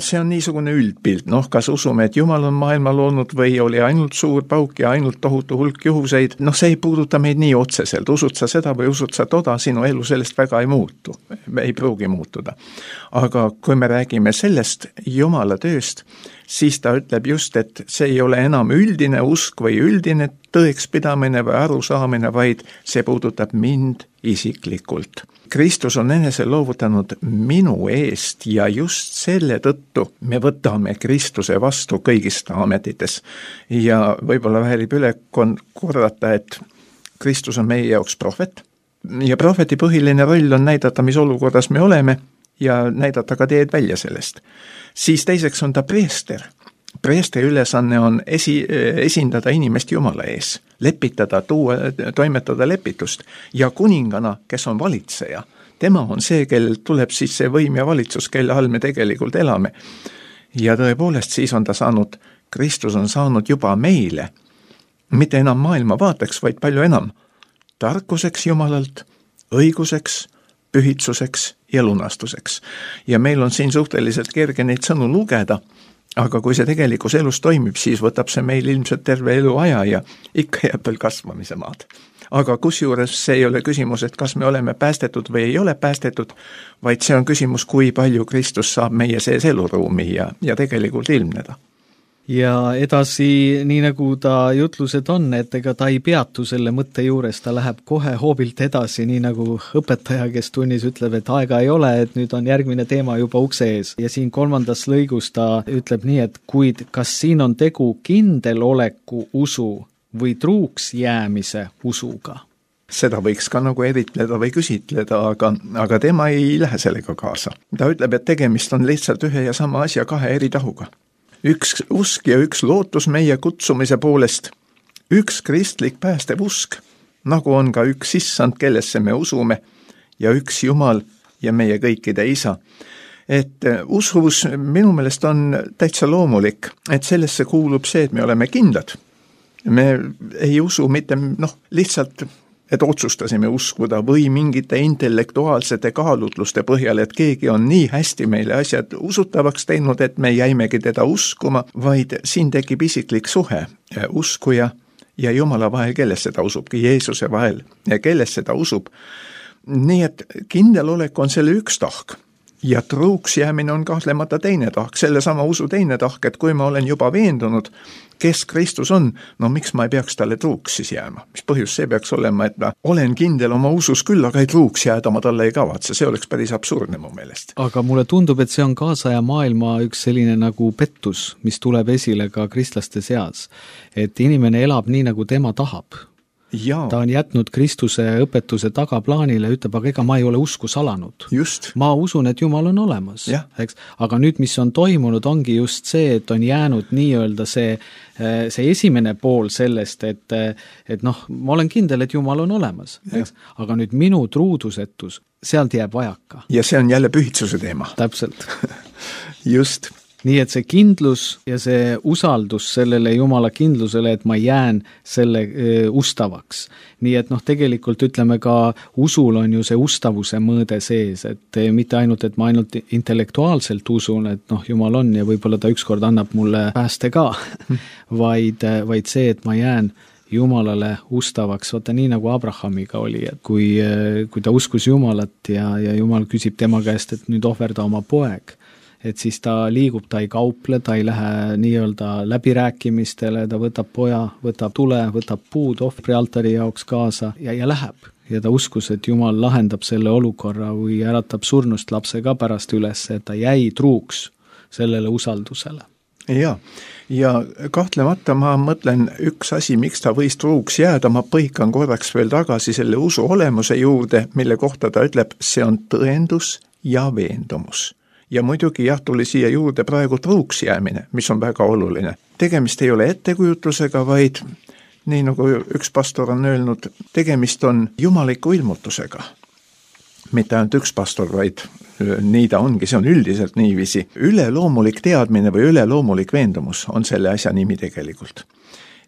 see on niisugune üldpilt. Noh, kas usume, et Jumal on maailma loonud või oli ainult suur pauk ja ainult tohutu hulk juhuseid, noh, see ei puuduta meid nii otseselt. Usud sa seda või usud sa toda, sinu elu sellest väga ei muutu, ei pruugi muutuda. Aga kui me räägime sellest Jumala tööst, siis ta ütleb just, et see ei ole enam üldine usk või üldine tõekspidamine või arusaamine, vaid see puudutab mind isiklikult. Kristus on enese loovutanud minu eest ja just selle tõttu me võtame Kristuse vastu kõigis ametites. Ja võib-olla väärib üle korrata, et Kristus on meie jaoks prohvet ja prohveti põhiline roll on näidata, mis olukorras me oleme ja näidata ka teed välja sellest. Siis teiseks on ta preester. Preestri ülesanne on esi, esindada inimest Jumala ees, lepitada, tuua, toimetada lepitust ja kuningana, kes on valitseja. Tema on see, kellel tuleb siis see võim ja valitsus, kelle all me tegelikult elame. Ja tõepoolest siis on ta saanud, Kristus on saanud juba meile, mitte enam maailma vaateks, vaid palju enam tarkuseks Jumalalt, õiguseks, pühitsuseks ja lunastuseks. Ja meil on siin suhteliselt kerge neid sõnu lugeda, aga kui see tegelikus elus toimib, siis võtab see meil ilmselt terve elu aja ja ikka jääb veel kasvamise maad. Aga kusjuures see ei ole küsimus, et kas me oleme päästetud või ei ole päästetud, vaid see on küsimus, kui palju Kristus saab meie sees eluruumi ja, ja tegelikult ilmneda. Ja edasi, nii nagu ta jutlused on, et ega ta ei peatu selle mõtte juures, ta läheb kohe hoobilt edasi, nii nagu õpetaja, kes tunnis ütleb, et aega ei ole, et nüüd on järgmine teema juba ukse ees. Ja siin kolmandas lõigus ta ütleb nii, et kuid kas siin on tegu kindeloleku usu või truuks jäämise usuga? Seda võiks ka nagu eritleda või küsitleda, aga, aga tema ei lähe sellega kaasa. Ta ütleb, et tegemist on lihtsalt ühe ja sama asja kahe eri tahuga. Üks usk ja üks lootus meie kutsumise poolest, üks kristlik päästev usk, nagu on ka üks issand, kellesse me usume, ja üks Jumal ja meie kõikide isa. Et usus minu meelest on täitsa loomulik, et sellesse kuulub see, et me oleme kindlad. Me ei usu mitte noh, lihtsalt et otsustasime uskuda või mingite intellektuaalsete kaalutluste põhjal, et keegi on nii hästi meile asjad usutavaks teinud, et me jäimegi teda uskuma, vaid siin tekib isiklik suhe uskuja ja Jumala vahel, kellesse ta usubki, Jeesuse vahel ja kellesse ta usub. Nii et kindelolek on selle üks tahk ja truuks jäämine on kahtlemata teine tahk, selle sama usu teine tahk, et kui ma olen juba veendunud, kes Kristus on, no miks ma ei peaks talle truuks siis jääma? Mis põhjus see peaks olema, et ma olen kindel oma usus küll, aga ei truuks jääda, ma talle ei kavatse, see oleks päris absurdne mu meelest. Aga mulle tundub, et see on kaasaja maailma üks selline nagu pettus, mis tuleb esile ka kristlaste seas, et inimene elab nii, nagu tema tahab. Ja. Ta on jätnud Kristuse õpetuse tagaplaanile, ütleb, aga ega ma ei ole usku salanud. Just. Ma usun, et Jumal on olemas. Eks? Aga nüüd, mis on toimunud, ongi just see, et on jäänud nii-öelda see, see esimene pool sellest, et, et noh, ma olen kindel, et Jumal on olemas. Eks? Aga nüüd minu truudusetus, sealt jääb vajaka. Ja see on jälle pühitsuse teema. Täpselt. Just. Nii et see kindlus ja see usaldus sellele Jumala kindlusele, et ma jään selle ustavaks. Nii et noh, tegelikult ütleme ka usul on ju see ustavuse mõõde sees, et mitte ainult, et ma ainult intellektuaalselt usun, et noh, Jumal on ja võib-olla ta ükskord annab mulle pääste ka, vaid, vaid see, et ma jään Jumalale ustavaks, vaata nii nagu Abrahamiga oli, et kui, kui ta uskus Jumalat ja, ja Jumal küsib tema käest, et nüüd ohverda oma poeg, et siis ta liigub, ta ei kauple, ta ei lähe nii-öelda läbirääkimistele, ta võtab poja, võtab tule, võtab puud ohvri altari jaoks kaasa ja, ja läheb. Ja ta uskus, et Jumal lahendab selle olukorra või äratab surnust lapse ka pärast üles, et ta jäi truuks sellele usaldusele. Ja, ja kahtlemata ma mõtlen üks asi, miks ta võis truuks jääda, ma põikan korraks veel tagasi selle usu olemuse juurde, mille kohta ta ütleb, see on tõendus ja veendumus. Ja muidugi jah, tuli siia juurde praegu truuks jäämine, mis on väga oluline. Tegemist ei ole ettekujutlusega, vaid nii nagu üks pastor on öelnud, tegemist on jumaliku ilmutusega. Mitte ainult üks pastor, vaid nii ta ongi, see on üldiselt niiviisi. Üleloomulik teadmine või üleloomulik veendumus on selle asja nimi tegelikult.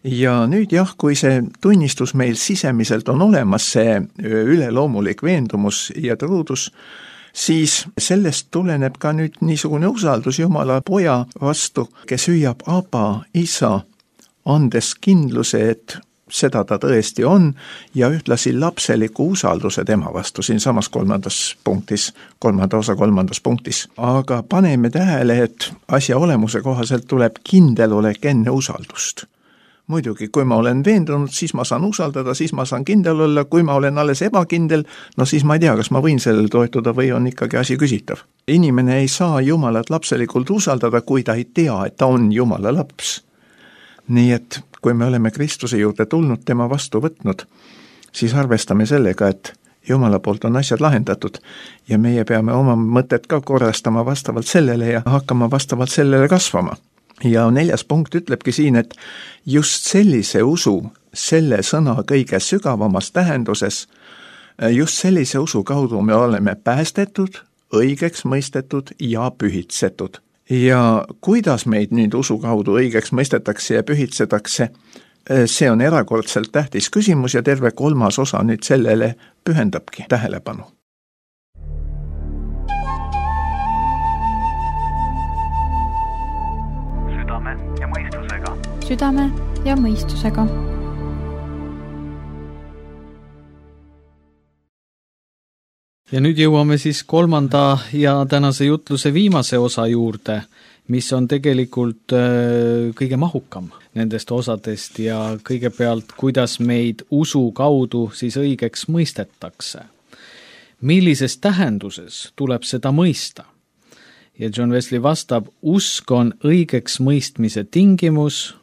Ja nüüd jah, kui see tunnistus meil sisemiselt on olemas, see üleloomulik veendumus ja truudus, siis sellest tuleneb ka nüüd niisugune usaldus Jumala poja vastu, kes hüüab Aba, isa, andes kindluse, et seda ta tõesti on ja ühtlasi lapseliku usalduse tema vastu siin samas kolmandas punktis, kolmanda osa kolmandas punktis. Aga paneme tähele, et asja olemuse kohaselt tuleb kindel olek enne usaldust. Muidugi, kui ma olen veendunud, siis ma saan usaldada, siis ma saan kindel olla, kui ma olen alles ebakindel, no siis ma ei tea, kas ma võin sellele toetuda või on ikkagi asi küsitav. Inimene ei saa Jumalat lapselikult usaldada, kui ta ei tea, et ta on Jumala laps. Nii et kui me oleme Kristuse juurde tulnud, tema vastu võtnud, siis arvestame sellega, et Jumala poolt on asjad lahendatud ja meie peame oma mõtet ka korrastama vastavalt sellele ja hakkama vastavalt sellele kasvama. Ja neljas punkt ütlebki siin, et just sellise usu, selle sõna kõige sügavamas tähenduses, just sellise usu kaudu me oleme päästetud, õigeks mõistetud ja pühitsetud. Ja kuidas meid nüüd usu kaudu õigeks mõistetakse ja pühitsetakse, see on erakordselt tähtis küsimus ja terve kolmas osa nüüd sellele pühendabki tähelepanu. Südame ja mõistusega. Südame ja mõistusega. Ja nüüd jõuame siis kolmanda ja tänase jutluse viimase osa juurde, mis on tegelikult kõige mahukam nendest osadest ja kõigepealt, kuidas meid usu kaudu siis õigeks mõistetakse. Millises tähenduses tuleb seda mõista? Ja John Wesley vastab, usk on õigeks mõistmise tingimus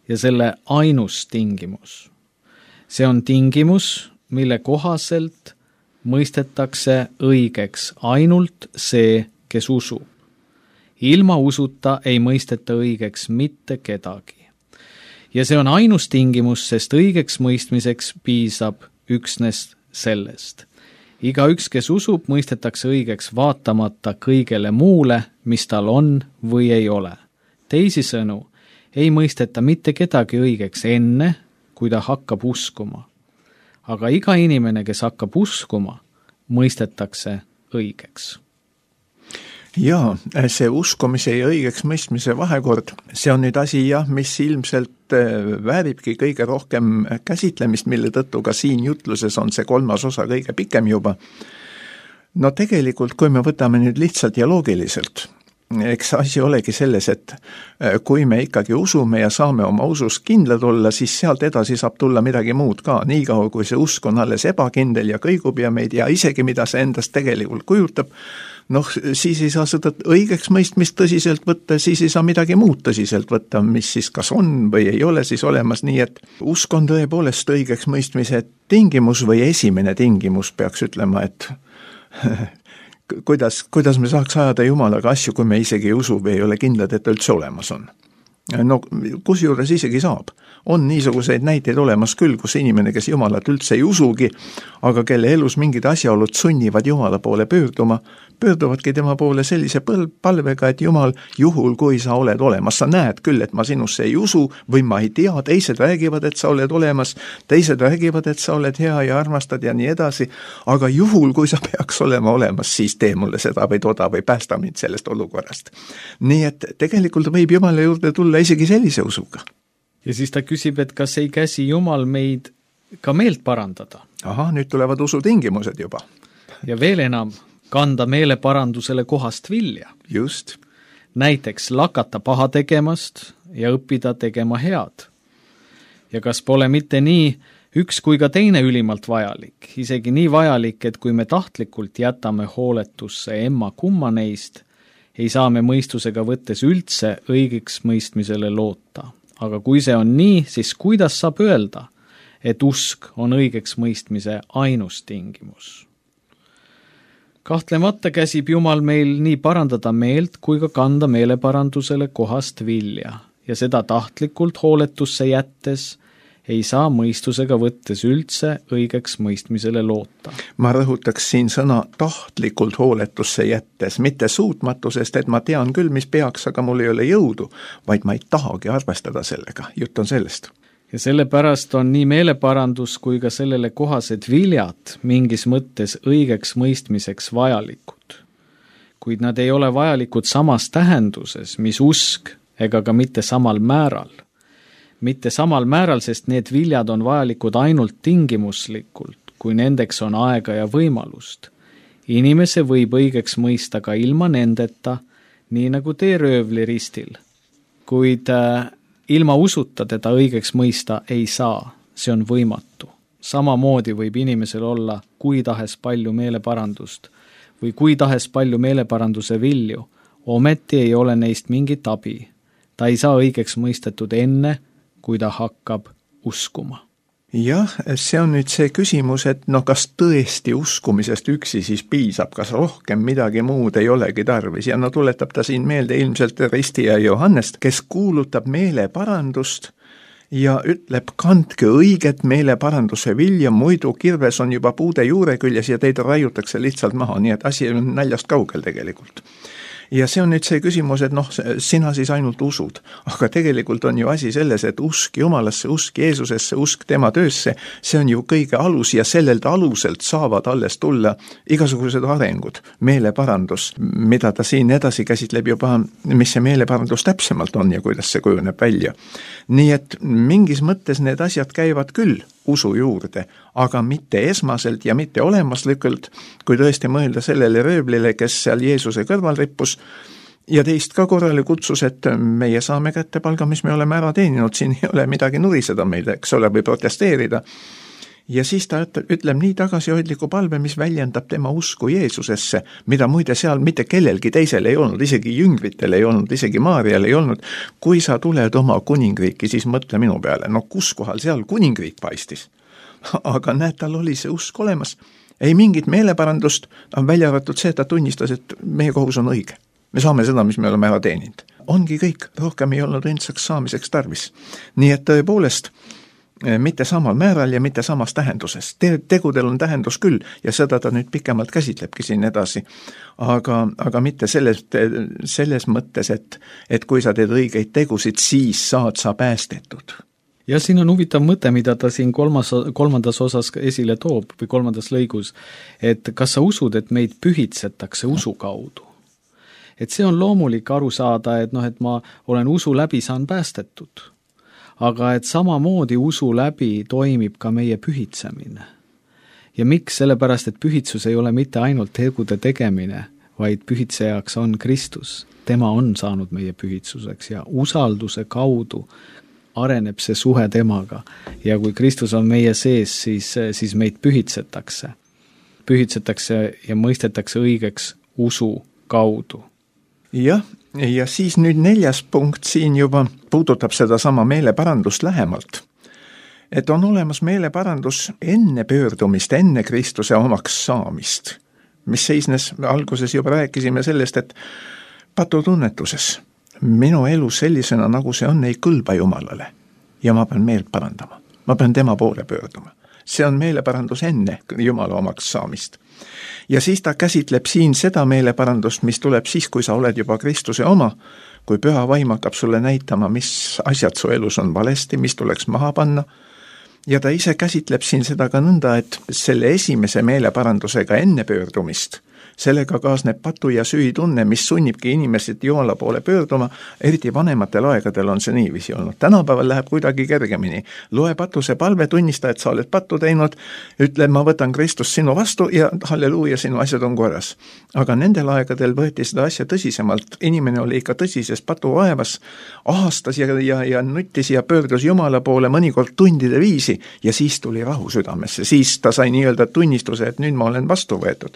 ja selle ainus tingimus. See on tingimus, mille kohaselt mõistetakse õigeks ainult see, kes usub. Ilma usuta ei mõisteta õigeks mitte kedagi. Ja see on ainus tingimus, sest õigeks mõistmiseks piisab üksnes sellest. Igaüks, kes usub, mõistetakse õigeks vaatamata kõigele muule, mis tal on või ei ole. Teisisõnu, ei mõisteta mitte kedagi õigeks enne, kui ta hakkab uskuma. Aga iga inimene, kes hakkab uskuma, mõistetakse õigeks. Jaa, see uskumise ja õigeks mõistmise vahekord, see on nüüd asi, jah, mis ilmselt vääribki kõige rohkem käsitlemist, mille tõttu ka siin jutluses on see kolmas osa kõige pikem juba. No tegelikult, kui me võtame nüüd lihtsalt ja loogiliselt, eks asi olegi selles, et kui me ikkagi usume ja saame oma usus kindlad olla, siis sealt edasi saab tulla midagi muud ka. Nii kaua, kui see usk on alles ebakindel ja kõigub ja meid ja isegi mida see endast tegelikult kujutab, noh, siis ei saa seda õigeks mõistmist tõsiselt võtta, siis ei saa midagi muud tõsiselt võtta, mis siis kas on või ei ole siis olemas, nii et usk on tõepoolest õigeks mõistmise tingimus või esimene tingimus, peaks ütlema, et kuidas, kuidas me saaks ajada Jumalaga asju, kui me isegi ei usu või ei ole kindlad, et ta üldse olemas on. No kusjuures isegi saab. On niisuguseid näiteid olemas küll, kus inimene, kes Jumalat üldse ei usugi, aga kelle elus mingid asjaolud sunnivad Jumala poole pöörduma, pöörduvadki tema poole sellise palvega, et Jumal, juhul kui sa oled olemas, sa näed küll, et ma sinusse ei usu või ma ei tea, teised räägivad, et sa oled olemas, teised räägivad, et sa oled hea ja armastad ja nii edasi, aga juhul kui sa peaks olema olemas, siis tee mulle seda või toda või päästa mind sellest olukorrast. Nii et tegelikult võib Jumala juurde tulla isegi sellise usuga. ja siis ta küsib, et kas ei käsi Jumal meid ka meelt parandada. Ahah, nüüd tulevad usutingimused juba. Ja veel enam, kanda meeleparandusele kohast vilja. Just. Näiteks lakata paha tegemast ja õppida tegema head. Ja kas pole mitte nii üks kui ka teine ülimalt vajalik, isegi nii vajalik, et kui me tahtlikult jätame hooletusse emma kumma neist, ei saa me mõistusega võttes üldse õigeks mõistmisele loota. Aga kui see on nii, siis kuidas saab öelda, et usk on õigeks mõistmise ainus tingimus? Kahtlemata käsib Jumal meil nii parandada meelt kui ka kanda meeleparandusele kohast vilja ja seda tahtlikult hooletusse jättes ei saa mõistusega võttes üldse õigeks mõistmisele loota. Ma rõhutaks siin sõna tahtlikult hooletusse jättes, mitte suutmatusest, et ma tean küll, mis peaks, aga mul ei ole jõudu, vaid ma ei tahagi arvestada sellega. Jutt on sellest. Ja sellepärast on nii meeleparandus kui ka sellele kohased viljad mingis mõttes õigeks mõistmiseks vajalikud. Kuid nad ei ole vajalikud samas tähenduses, mis usk ega ka mitte samal määral. Mitte samal määral, sest need viljad on vajalikud ainult tingimuslikult, kui nendeks on aega ja võimalust. Inimese võib õigeks mõista ka ilma nendeta, nii nagu tee röövli ristil. Kuid äh, ilma usuta teda õigeks mõista ei saa, see on võimatu. Samamoodi võib inimesel olla kui tahes palju meeleparandust või kui tahes palju meeleparanduse vilju, ometi ei ole neist mingit abi. Ta ei saa õigeks mõistetud enne, kui ta hakkab uskuma. Jah, see on nüüd see küsimus, et no kas tõesti uskumisest üksi siis piisab, kas rohkem midagi muud ei olegi tarvis ja no tuletab ta siin meelde ilmselt Ristija Johannest, kes kuulutab meeleparandust ja ütleb, kandke õiget meeleparanduse vilja, muidu kirves on juba puude juure küljes ja teid raiutakse lihtsalt maha, nii et asi on näljast kaugel tegelikult. Ja see on nüüd see küsimus, et noh, sina siis ainult usud, aga tegelikult on ju asi selles, et usk Jumalasse, usk Jeesusesse, usk tema töösse, see on ju kõige alus ja sellelt aluselt saavad alles tulla igasugused arengud, meeleparandus, mida ta siin edasi käsitleb juba, mis see meeleparandus täpsemalt on ja kuidas see kujuneb välja. Nii et mingis mõttes need asjad käivad küll usu juurde, aga mitte esmaselt ja mitte olemaslikult, kui tõesti mõelda sellele rööblile, kes seal Jeesuse kõrval rippus, ja teist ka korrale kutsus, et meie saame kätte palga, mis me oleme ära teeninud, siin ei ole midagi nuriseda meile, eks ole, või protesteerida. Ja siis ta ütleb nii tagasihoidliku palve, mis väljendab tema usku Jeesusesse, mida muide seal mitte kellelgi teisel ei olnud, isegi jüngritel ei olnud, isegi Maarial ei olnud. Kui sa tuled oma kuningriiki, siis mõtle minu peale, no kus kohal seal kuningriik paistis? Aga näed, tal oli see usk olemas. Ei mingit meeleparandust, on välja arvatud see, et ta tunnistas, et meie kohus on õige. Me saame seda, mis me oleme ära teeninud. Ongi kõik, rohkem ei olnud õndsaks saamiseks tarvis. Nii et tõepoolest, mitte samal määral ja mitte samas tähenduses. Te- tegudel on tähendus küll ja seda ta nüüd pikemalt käsitlebki siin edasi. Aga, aga mitte selles, selles mõttes, et, et kui sa teed õigeid tegusid, siis saad sa päästetud. Ja siin on huvitav mõte, mida ta siin kolmas, kolmandas osas esile toob või kolmandas lõigus, et kas sa usud, et meid pühitsetakse usu kaudu? Et see on loomulik aru saada, et, noh, et ma olen usu läbi saan päästetud. Aga et samamoodi usu läbi toimib ka meie pühitsemine. Ja miks? Sellepärast, et pühitsus ei ole mitte ainult tegude tegemine, vaid pühitsejaks on Kristus. Tema on saanud meie pühitsuseks ja usalduse kaudu areneb see suhe temaga. Ja kui Kristus on meie sees, siis, siis meid pühitsetakse. Pühitsetakse ja mõistetakse õigeks usu kaudu. Jah, ja siis nüüd neljas punkt siin juba puudutab seda sama meeleparandust lähemalt. Et on olemas meeleparandus enne pöördumist, enne Kristuse omaks saamist, mis seisnes, alguses juba rääkisime sellest, et patutunnetuses minu elu sellisena, nagu see on, ei kõlba Jumalale ja ma pean meelt parandama. Ma pean tema poole pöörduma. See on meeleparandus enne Jumala omaks saamist. Ja siis ta käsitleb siin seda meeleparandust, mis tuleb siis, kui sa oled juba Kristuse oma, kui püha vaim hakkab sulle näitama, mis asjad su elus on valesti, mis tuleks maha panna. Ja ta ise käsitleb siin seda ka nõnda, et selle esimese meeleparandusega enne pöördumist, sellega kaasneb patu ja süütunne, mis sunnibki inimesed Jumala poole pöörduma, eriti vanematel aegadel on see niiviisi olnud. Tänapäeval läheb kuidagi kergemini. Loe patuse palve, tunnista, et sa oled pattu teinud, ütle, ma võtan Kristus sinu vastu ja halleluuja, sinu asjad on korras. Aga nendel aegadel võeti seda asja tõsisemalt. Inimene oli ikka tõsises patuvaevas, ahastas ja, ja, ja nuttis ja pöördus Jumala poole mõnikord tundide viisi ja siis tuli rahu südamesse. Siis ta sai nii-öelda tunnistuse, et nüüd ma olen vastu võetud.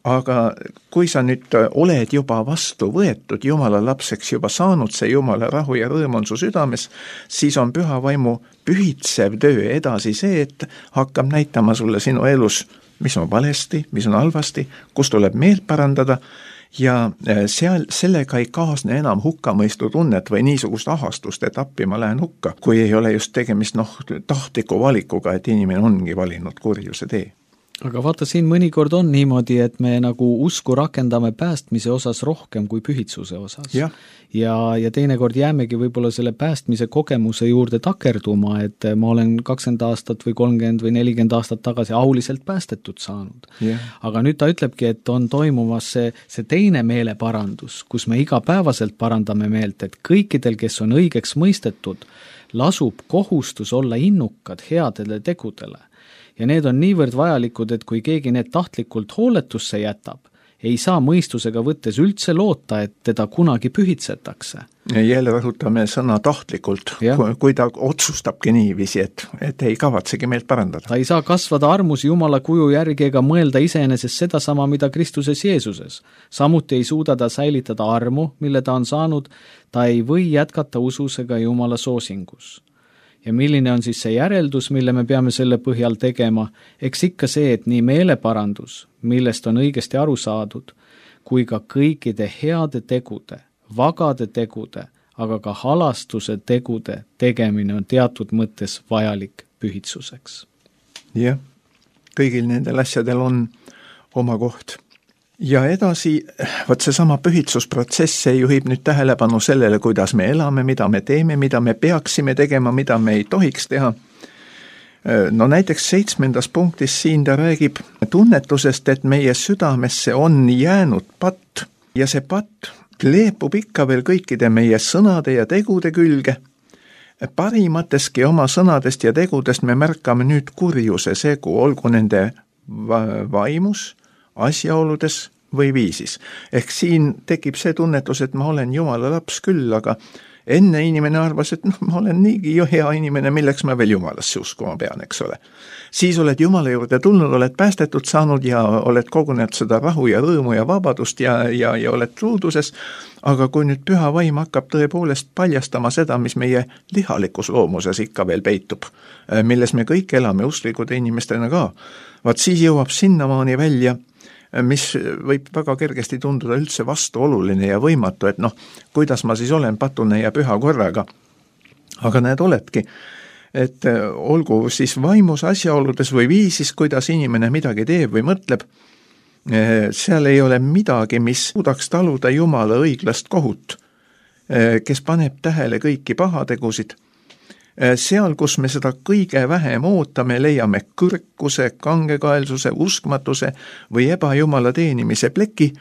Aga kui sa nüüd oled juba vastu võetud, Jumala lapseks juba saanud, see Jumala rahu ja rõõm on su südames, siis on püha vaimu pühitsev töö edasi see, et hakkab näitama sulle sinu elus, mis on valesti, mis on halvasti, kus tuleb meelt parandada ja seal sellega ei kaasne enam hukkamõistu tunnet või niisugust ahastust, et appi ma lähen hukka, kui ei ole just tegemist noh, tahtliku valikuga, et inimene ongi valinud kurjuse tee. Aga vaata, siin mõnikord on niimoodi, et me nagu usku rakendame päästmise osas rohkem kui pühitsuse osas. Ja, ja, ja teinekord jäämegi võib-olla selle päästmise kogemuse juurde takerduma, et ma olen kakskümmend aastat või kolmkümmend või nelikümmend aastat tagasi auliselt päästetud saanud. Ja. Aga nüüd ta ütlebki, et on toimumas see, see teine meeleparandus, kus me igapäevaselt parandame meelt, et kõikidel, kes on õigeks mõistetud, lasub kohustus olla innukad headele tegudele. Ja need on niivõrd vajalikud, et kui keegi need tahtlikult hooletusse jätab, ei saa mõistusega võttes üldse loota, et teda kunagi pühitsetakse. Jälle rõhutame sõna tahtlikult, kui, kui ta otsustabki niiviisi, et, et ei kavatsegi meelt parandada. Ta ei saa kasvada armus Jumala kuju järgi ega mõelda iseenesest sedasama, mida Kristuses Jeesuses. Samuti ei suuda ta säilitada armu, mille ta on saanud, ta ei või jätkata usus ega Jumala soosingus. Ja milline on siis see järeldus, mille me peame selle põhjal tegema? Eks ikka see, et nii meeleparandus, millest on õigesti aru saadud, kui ka kõikide heade tegude, vagade tegude, aga ka halastuse tegude tegemine on teatud mõttes vajalik pühitsuseks. Jah, kõigil nendel asjadel on oma koht. Ja edasi, võt see sama pühitsusprotsess, see juhib nüüd tähelepanu sellele, kuidas me elame, mida me teeme, mida me peaksime tegema, mida me ei tohiks teha. No näiteks seitsmendas punktis siin ta räägib tunnetusest, et meie südamesse on jäänud patt ja see patt kleepub ikka veel kõikide meie sõnade ja tegude külge. Parimateski oma sõnadest ja tegudest me märkame nüüd kurjuse segu, olgu nende vaimus, asjaoludes või viisis. Ehk siin tekib see tunnetus, et ma olen Jumala laps küll, aga enne inimene arvas, et noh, ma olen niigi jo hea inimene, milleks ma veel Jumalasse uskuma pean, eks ole. Siis oled Jumala juurde tulnud, oled päästetud saanud ja oled kogunenud seda rahu ja rõõmu ja vabadust ja, ja, ja oled truuduses, aga kui nüüd püha vaim hakkab tõepoolest paljastama seda, mis meie lihalikus loomuses ikka veel peitub, milles me kõik elame usklikud inimestena ka, vaat siis jõuab sinnamaani välja, mis võib väga kergesti tunduda üldse vastuoluline ja võimatu, et noh, kuidas ma siis olen patune ja püha korraga. Aga näed, oledki, et olgu siis vaimus asjaoludes või viisis, kuidas inimene midagi teeb või mõtleb, seal ei ole midagi, mis suudaks taluda Jumala õiglast kohut, kes paneb tähele kõiki pahategusid. Seal, kus me seda kõige vähem ootame, leiame kõrkuse, kangekaelsuse, uskmatuse või ebajumala teenimise pleki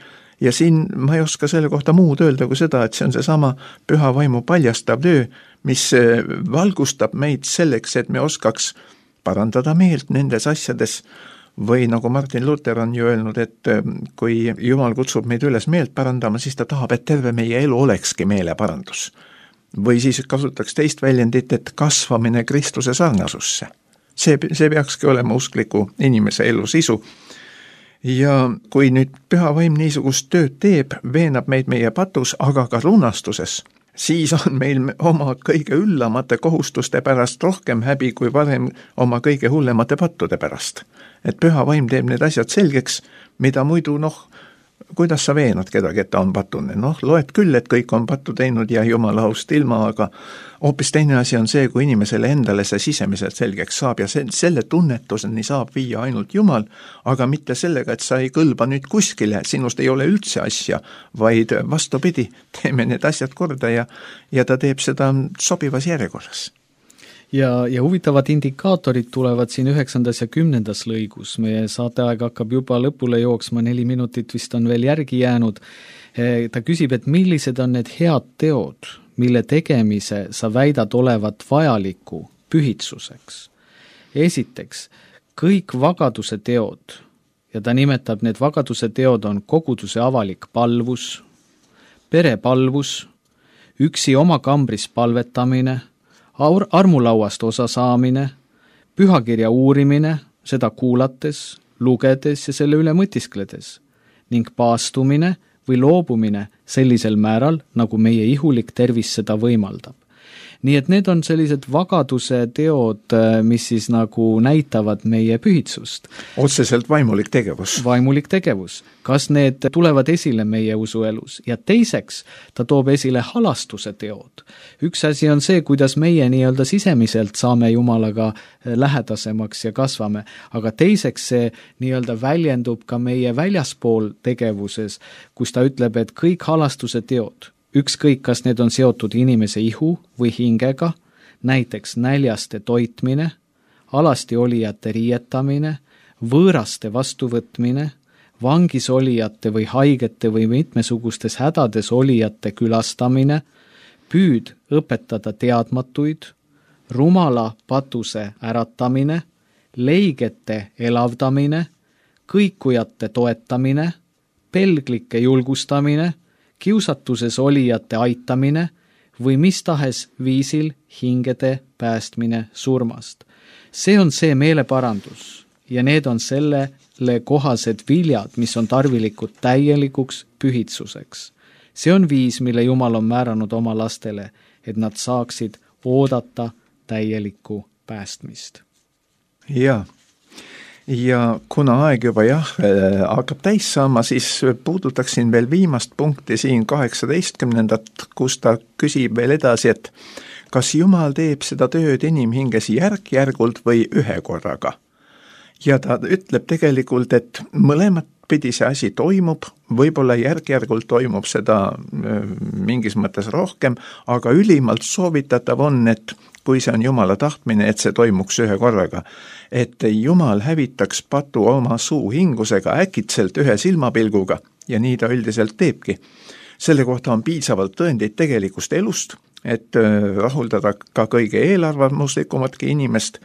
ja siin ma ei oska selle kohta muud öelda kui seda, et see on see sama püha vaimu paljastav töö, mis valgustab meid selleks, et me oskaks parandada meelt nendes asjades või nagu Martin Luther on ju öelnud, et kui Jumal kutsub meid üles meelt parandama, siis ta tahab, et terve meie elu olekski meeleparandus. Või siis kasutaks teist väljendit, et kasvamine Kristuse sarnasusse. See, see peakski olema uskliku inimese elu sisu. Ja kui nüüd püha vaim niisugust tööd teeb, veenab meid meie patus, aga ka lunastuses, siis on meil oma kõige üllamate kohustuste pärast rohkem häbi kui varem oma kõige hullemate pattude pärast. Et püha vaim teeb need asjad selgeks, mida muidu noh, kuidas sa veenad kedagi, et ta on patune? Noh, loed küll, et kõik on pattu teinud ja Jumala aust ilma, aga hoopis teine asi on see, kui inimesele endale see sisemiselt selgeks saab ja selle tunnetuseni saab viia ainult Jumal, aga mitte sellega, et sa ei kõlba nüüd kuskile, sinust ei ole üldse asja, vaid vastupidi, teeme need asjad korda ja, ja ta teeb seda sobivas järjekorras. ja, ja huvitavad indikaatorid tulevad siin üheksandas ja kümnendas lõigus. Meie saateaeg hakkab juba lõpule jooksma, neli minutit vist on veel järgi jäänud. Ta küsib, et millised on need head teod, mille tegemise sa väidad olevat vajaliku pühitsuseks. Esiteks, kõik vagaduse teod, ja ta nimetab need vagaduse teod on koguduse avalik palvus, perepalvus, üksi oma kambris palvetamine, armulauast osa saamine, pühakirja uurimine, seda kuulates, lugedes ja selle üle mõtiskledes, ning paastumine või loobumine sellisel määral, nagu meie ihulik tervis seda võimaldab. Nii et need on sellised vagaduse teod, mis siis nagu näitavad meie pühitsust. Otseselt vaimulik tegevus. Vaimulik tegevus. Kas need tulevad esile meie usuelus? Ja teiseks, ta toob esile halastuse teod. Üks asi on see, kuidas meie nii-öelda sisemiselt saame Jumalaga lähedasemaks ja kasvame, aga teiseks see nii-öelda väljendub ka meie väljaspool tegevuses, kus ta ütleb, et kõik halastuse teod, ükskõik, kas need on seotud inimese ihu või hingega, näiteks näljaste toitmine, alasti olijate riietamine, võõraste vastuvõtmine, vangis olijate või haigete või mitmesugustes hädades olijate külastamine, püüd õpetada teadmatuid, rumala patuse äratamine, leigete elavdamine, kõikujate toetamine, pelglike julgustamine, kiusatuses olijate aitamine või mis tahes viisil hingede päästmine surmast. See on see meeleparandus ja need on sellele kohased viljad, mis on tarvilikud täielikuks pühitsuseks. See on viis, mille Jumal on määranud oma lastele, et nad saaksid oodata täielikku päästmist. Jaa. Ja kuna aeg juba jah, hakkab täis saama, siis puudutaksin veel viimast punkti siin kaheksateistkümnendat, kus ta küsib veel edasi, et kas Jumal teeb seda tööd inimhinges järk-järgult või ühe korraga. Ja ta ütleb tegelikult, et mõlemat pidi see asi toimub, võib-olla järk-järgult toimub seda mingis mõttes rohkem, aga ülimalt soovitatav on, et kui see on Jumala tahtmine, et see toimuks ühe korraga, et Jumal hävitaks patu oma suu hingusega äkitselt ühe silmapilguga ja nii ta üldiselt teebki. Selle kohta on piisavalt tõendeid tegelikust elust, et rahuldada ka kõige eelarvamuslikumatki inimest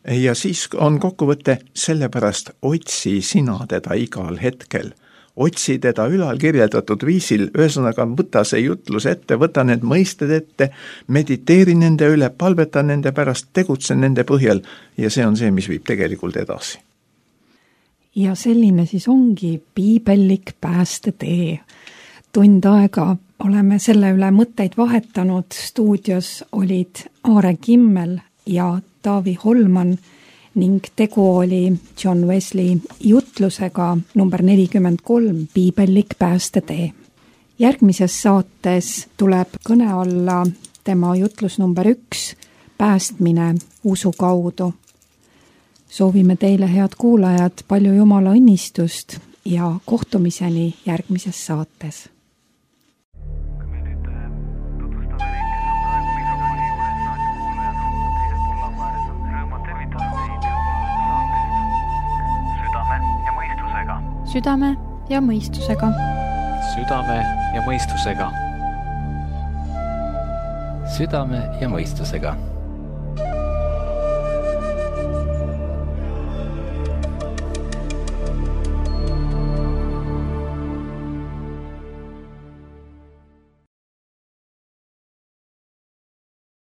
ja siis on kokkuvõte, sellepärast otsi sina teda igal hetkel. Otsi teda ülal kirjeldatud viisil, ühesõnaga võta see jutlus ette, võta need mõisted ette, mediteeri nende üle, palveta nende pärast, tegutse nende põhjal ja see on see, mis viib tegelikult edasi. Ja selline siis ongi piibellik päästetee. Tund aega oleme selle üle mõtteid vahetanud, stuudios olid Aare Kimmel ja Taavi Holman ning tegu oli John Wesley jutlusega number nelikümmend kolm, piibellik päästetee. Järgmises saates tuleb kõne alla tema jutlus number üks, päästmine usu kaudu. Soovime teile, head kuulajad, palju Jumala õnnistust ja kohtumiseni järgmises saates. Südame ja mõistusega. Südame ja mõistusega. Südame ja mõistusega.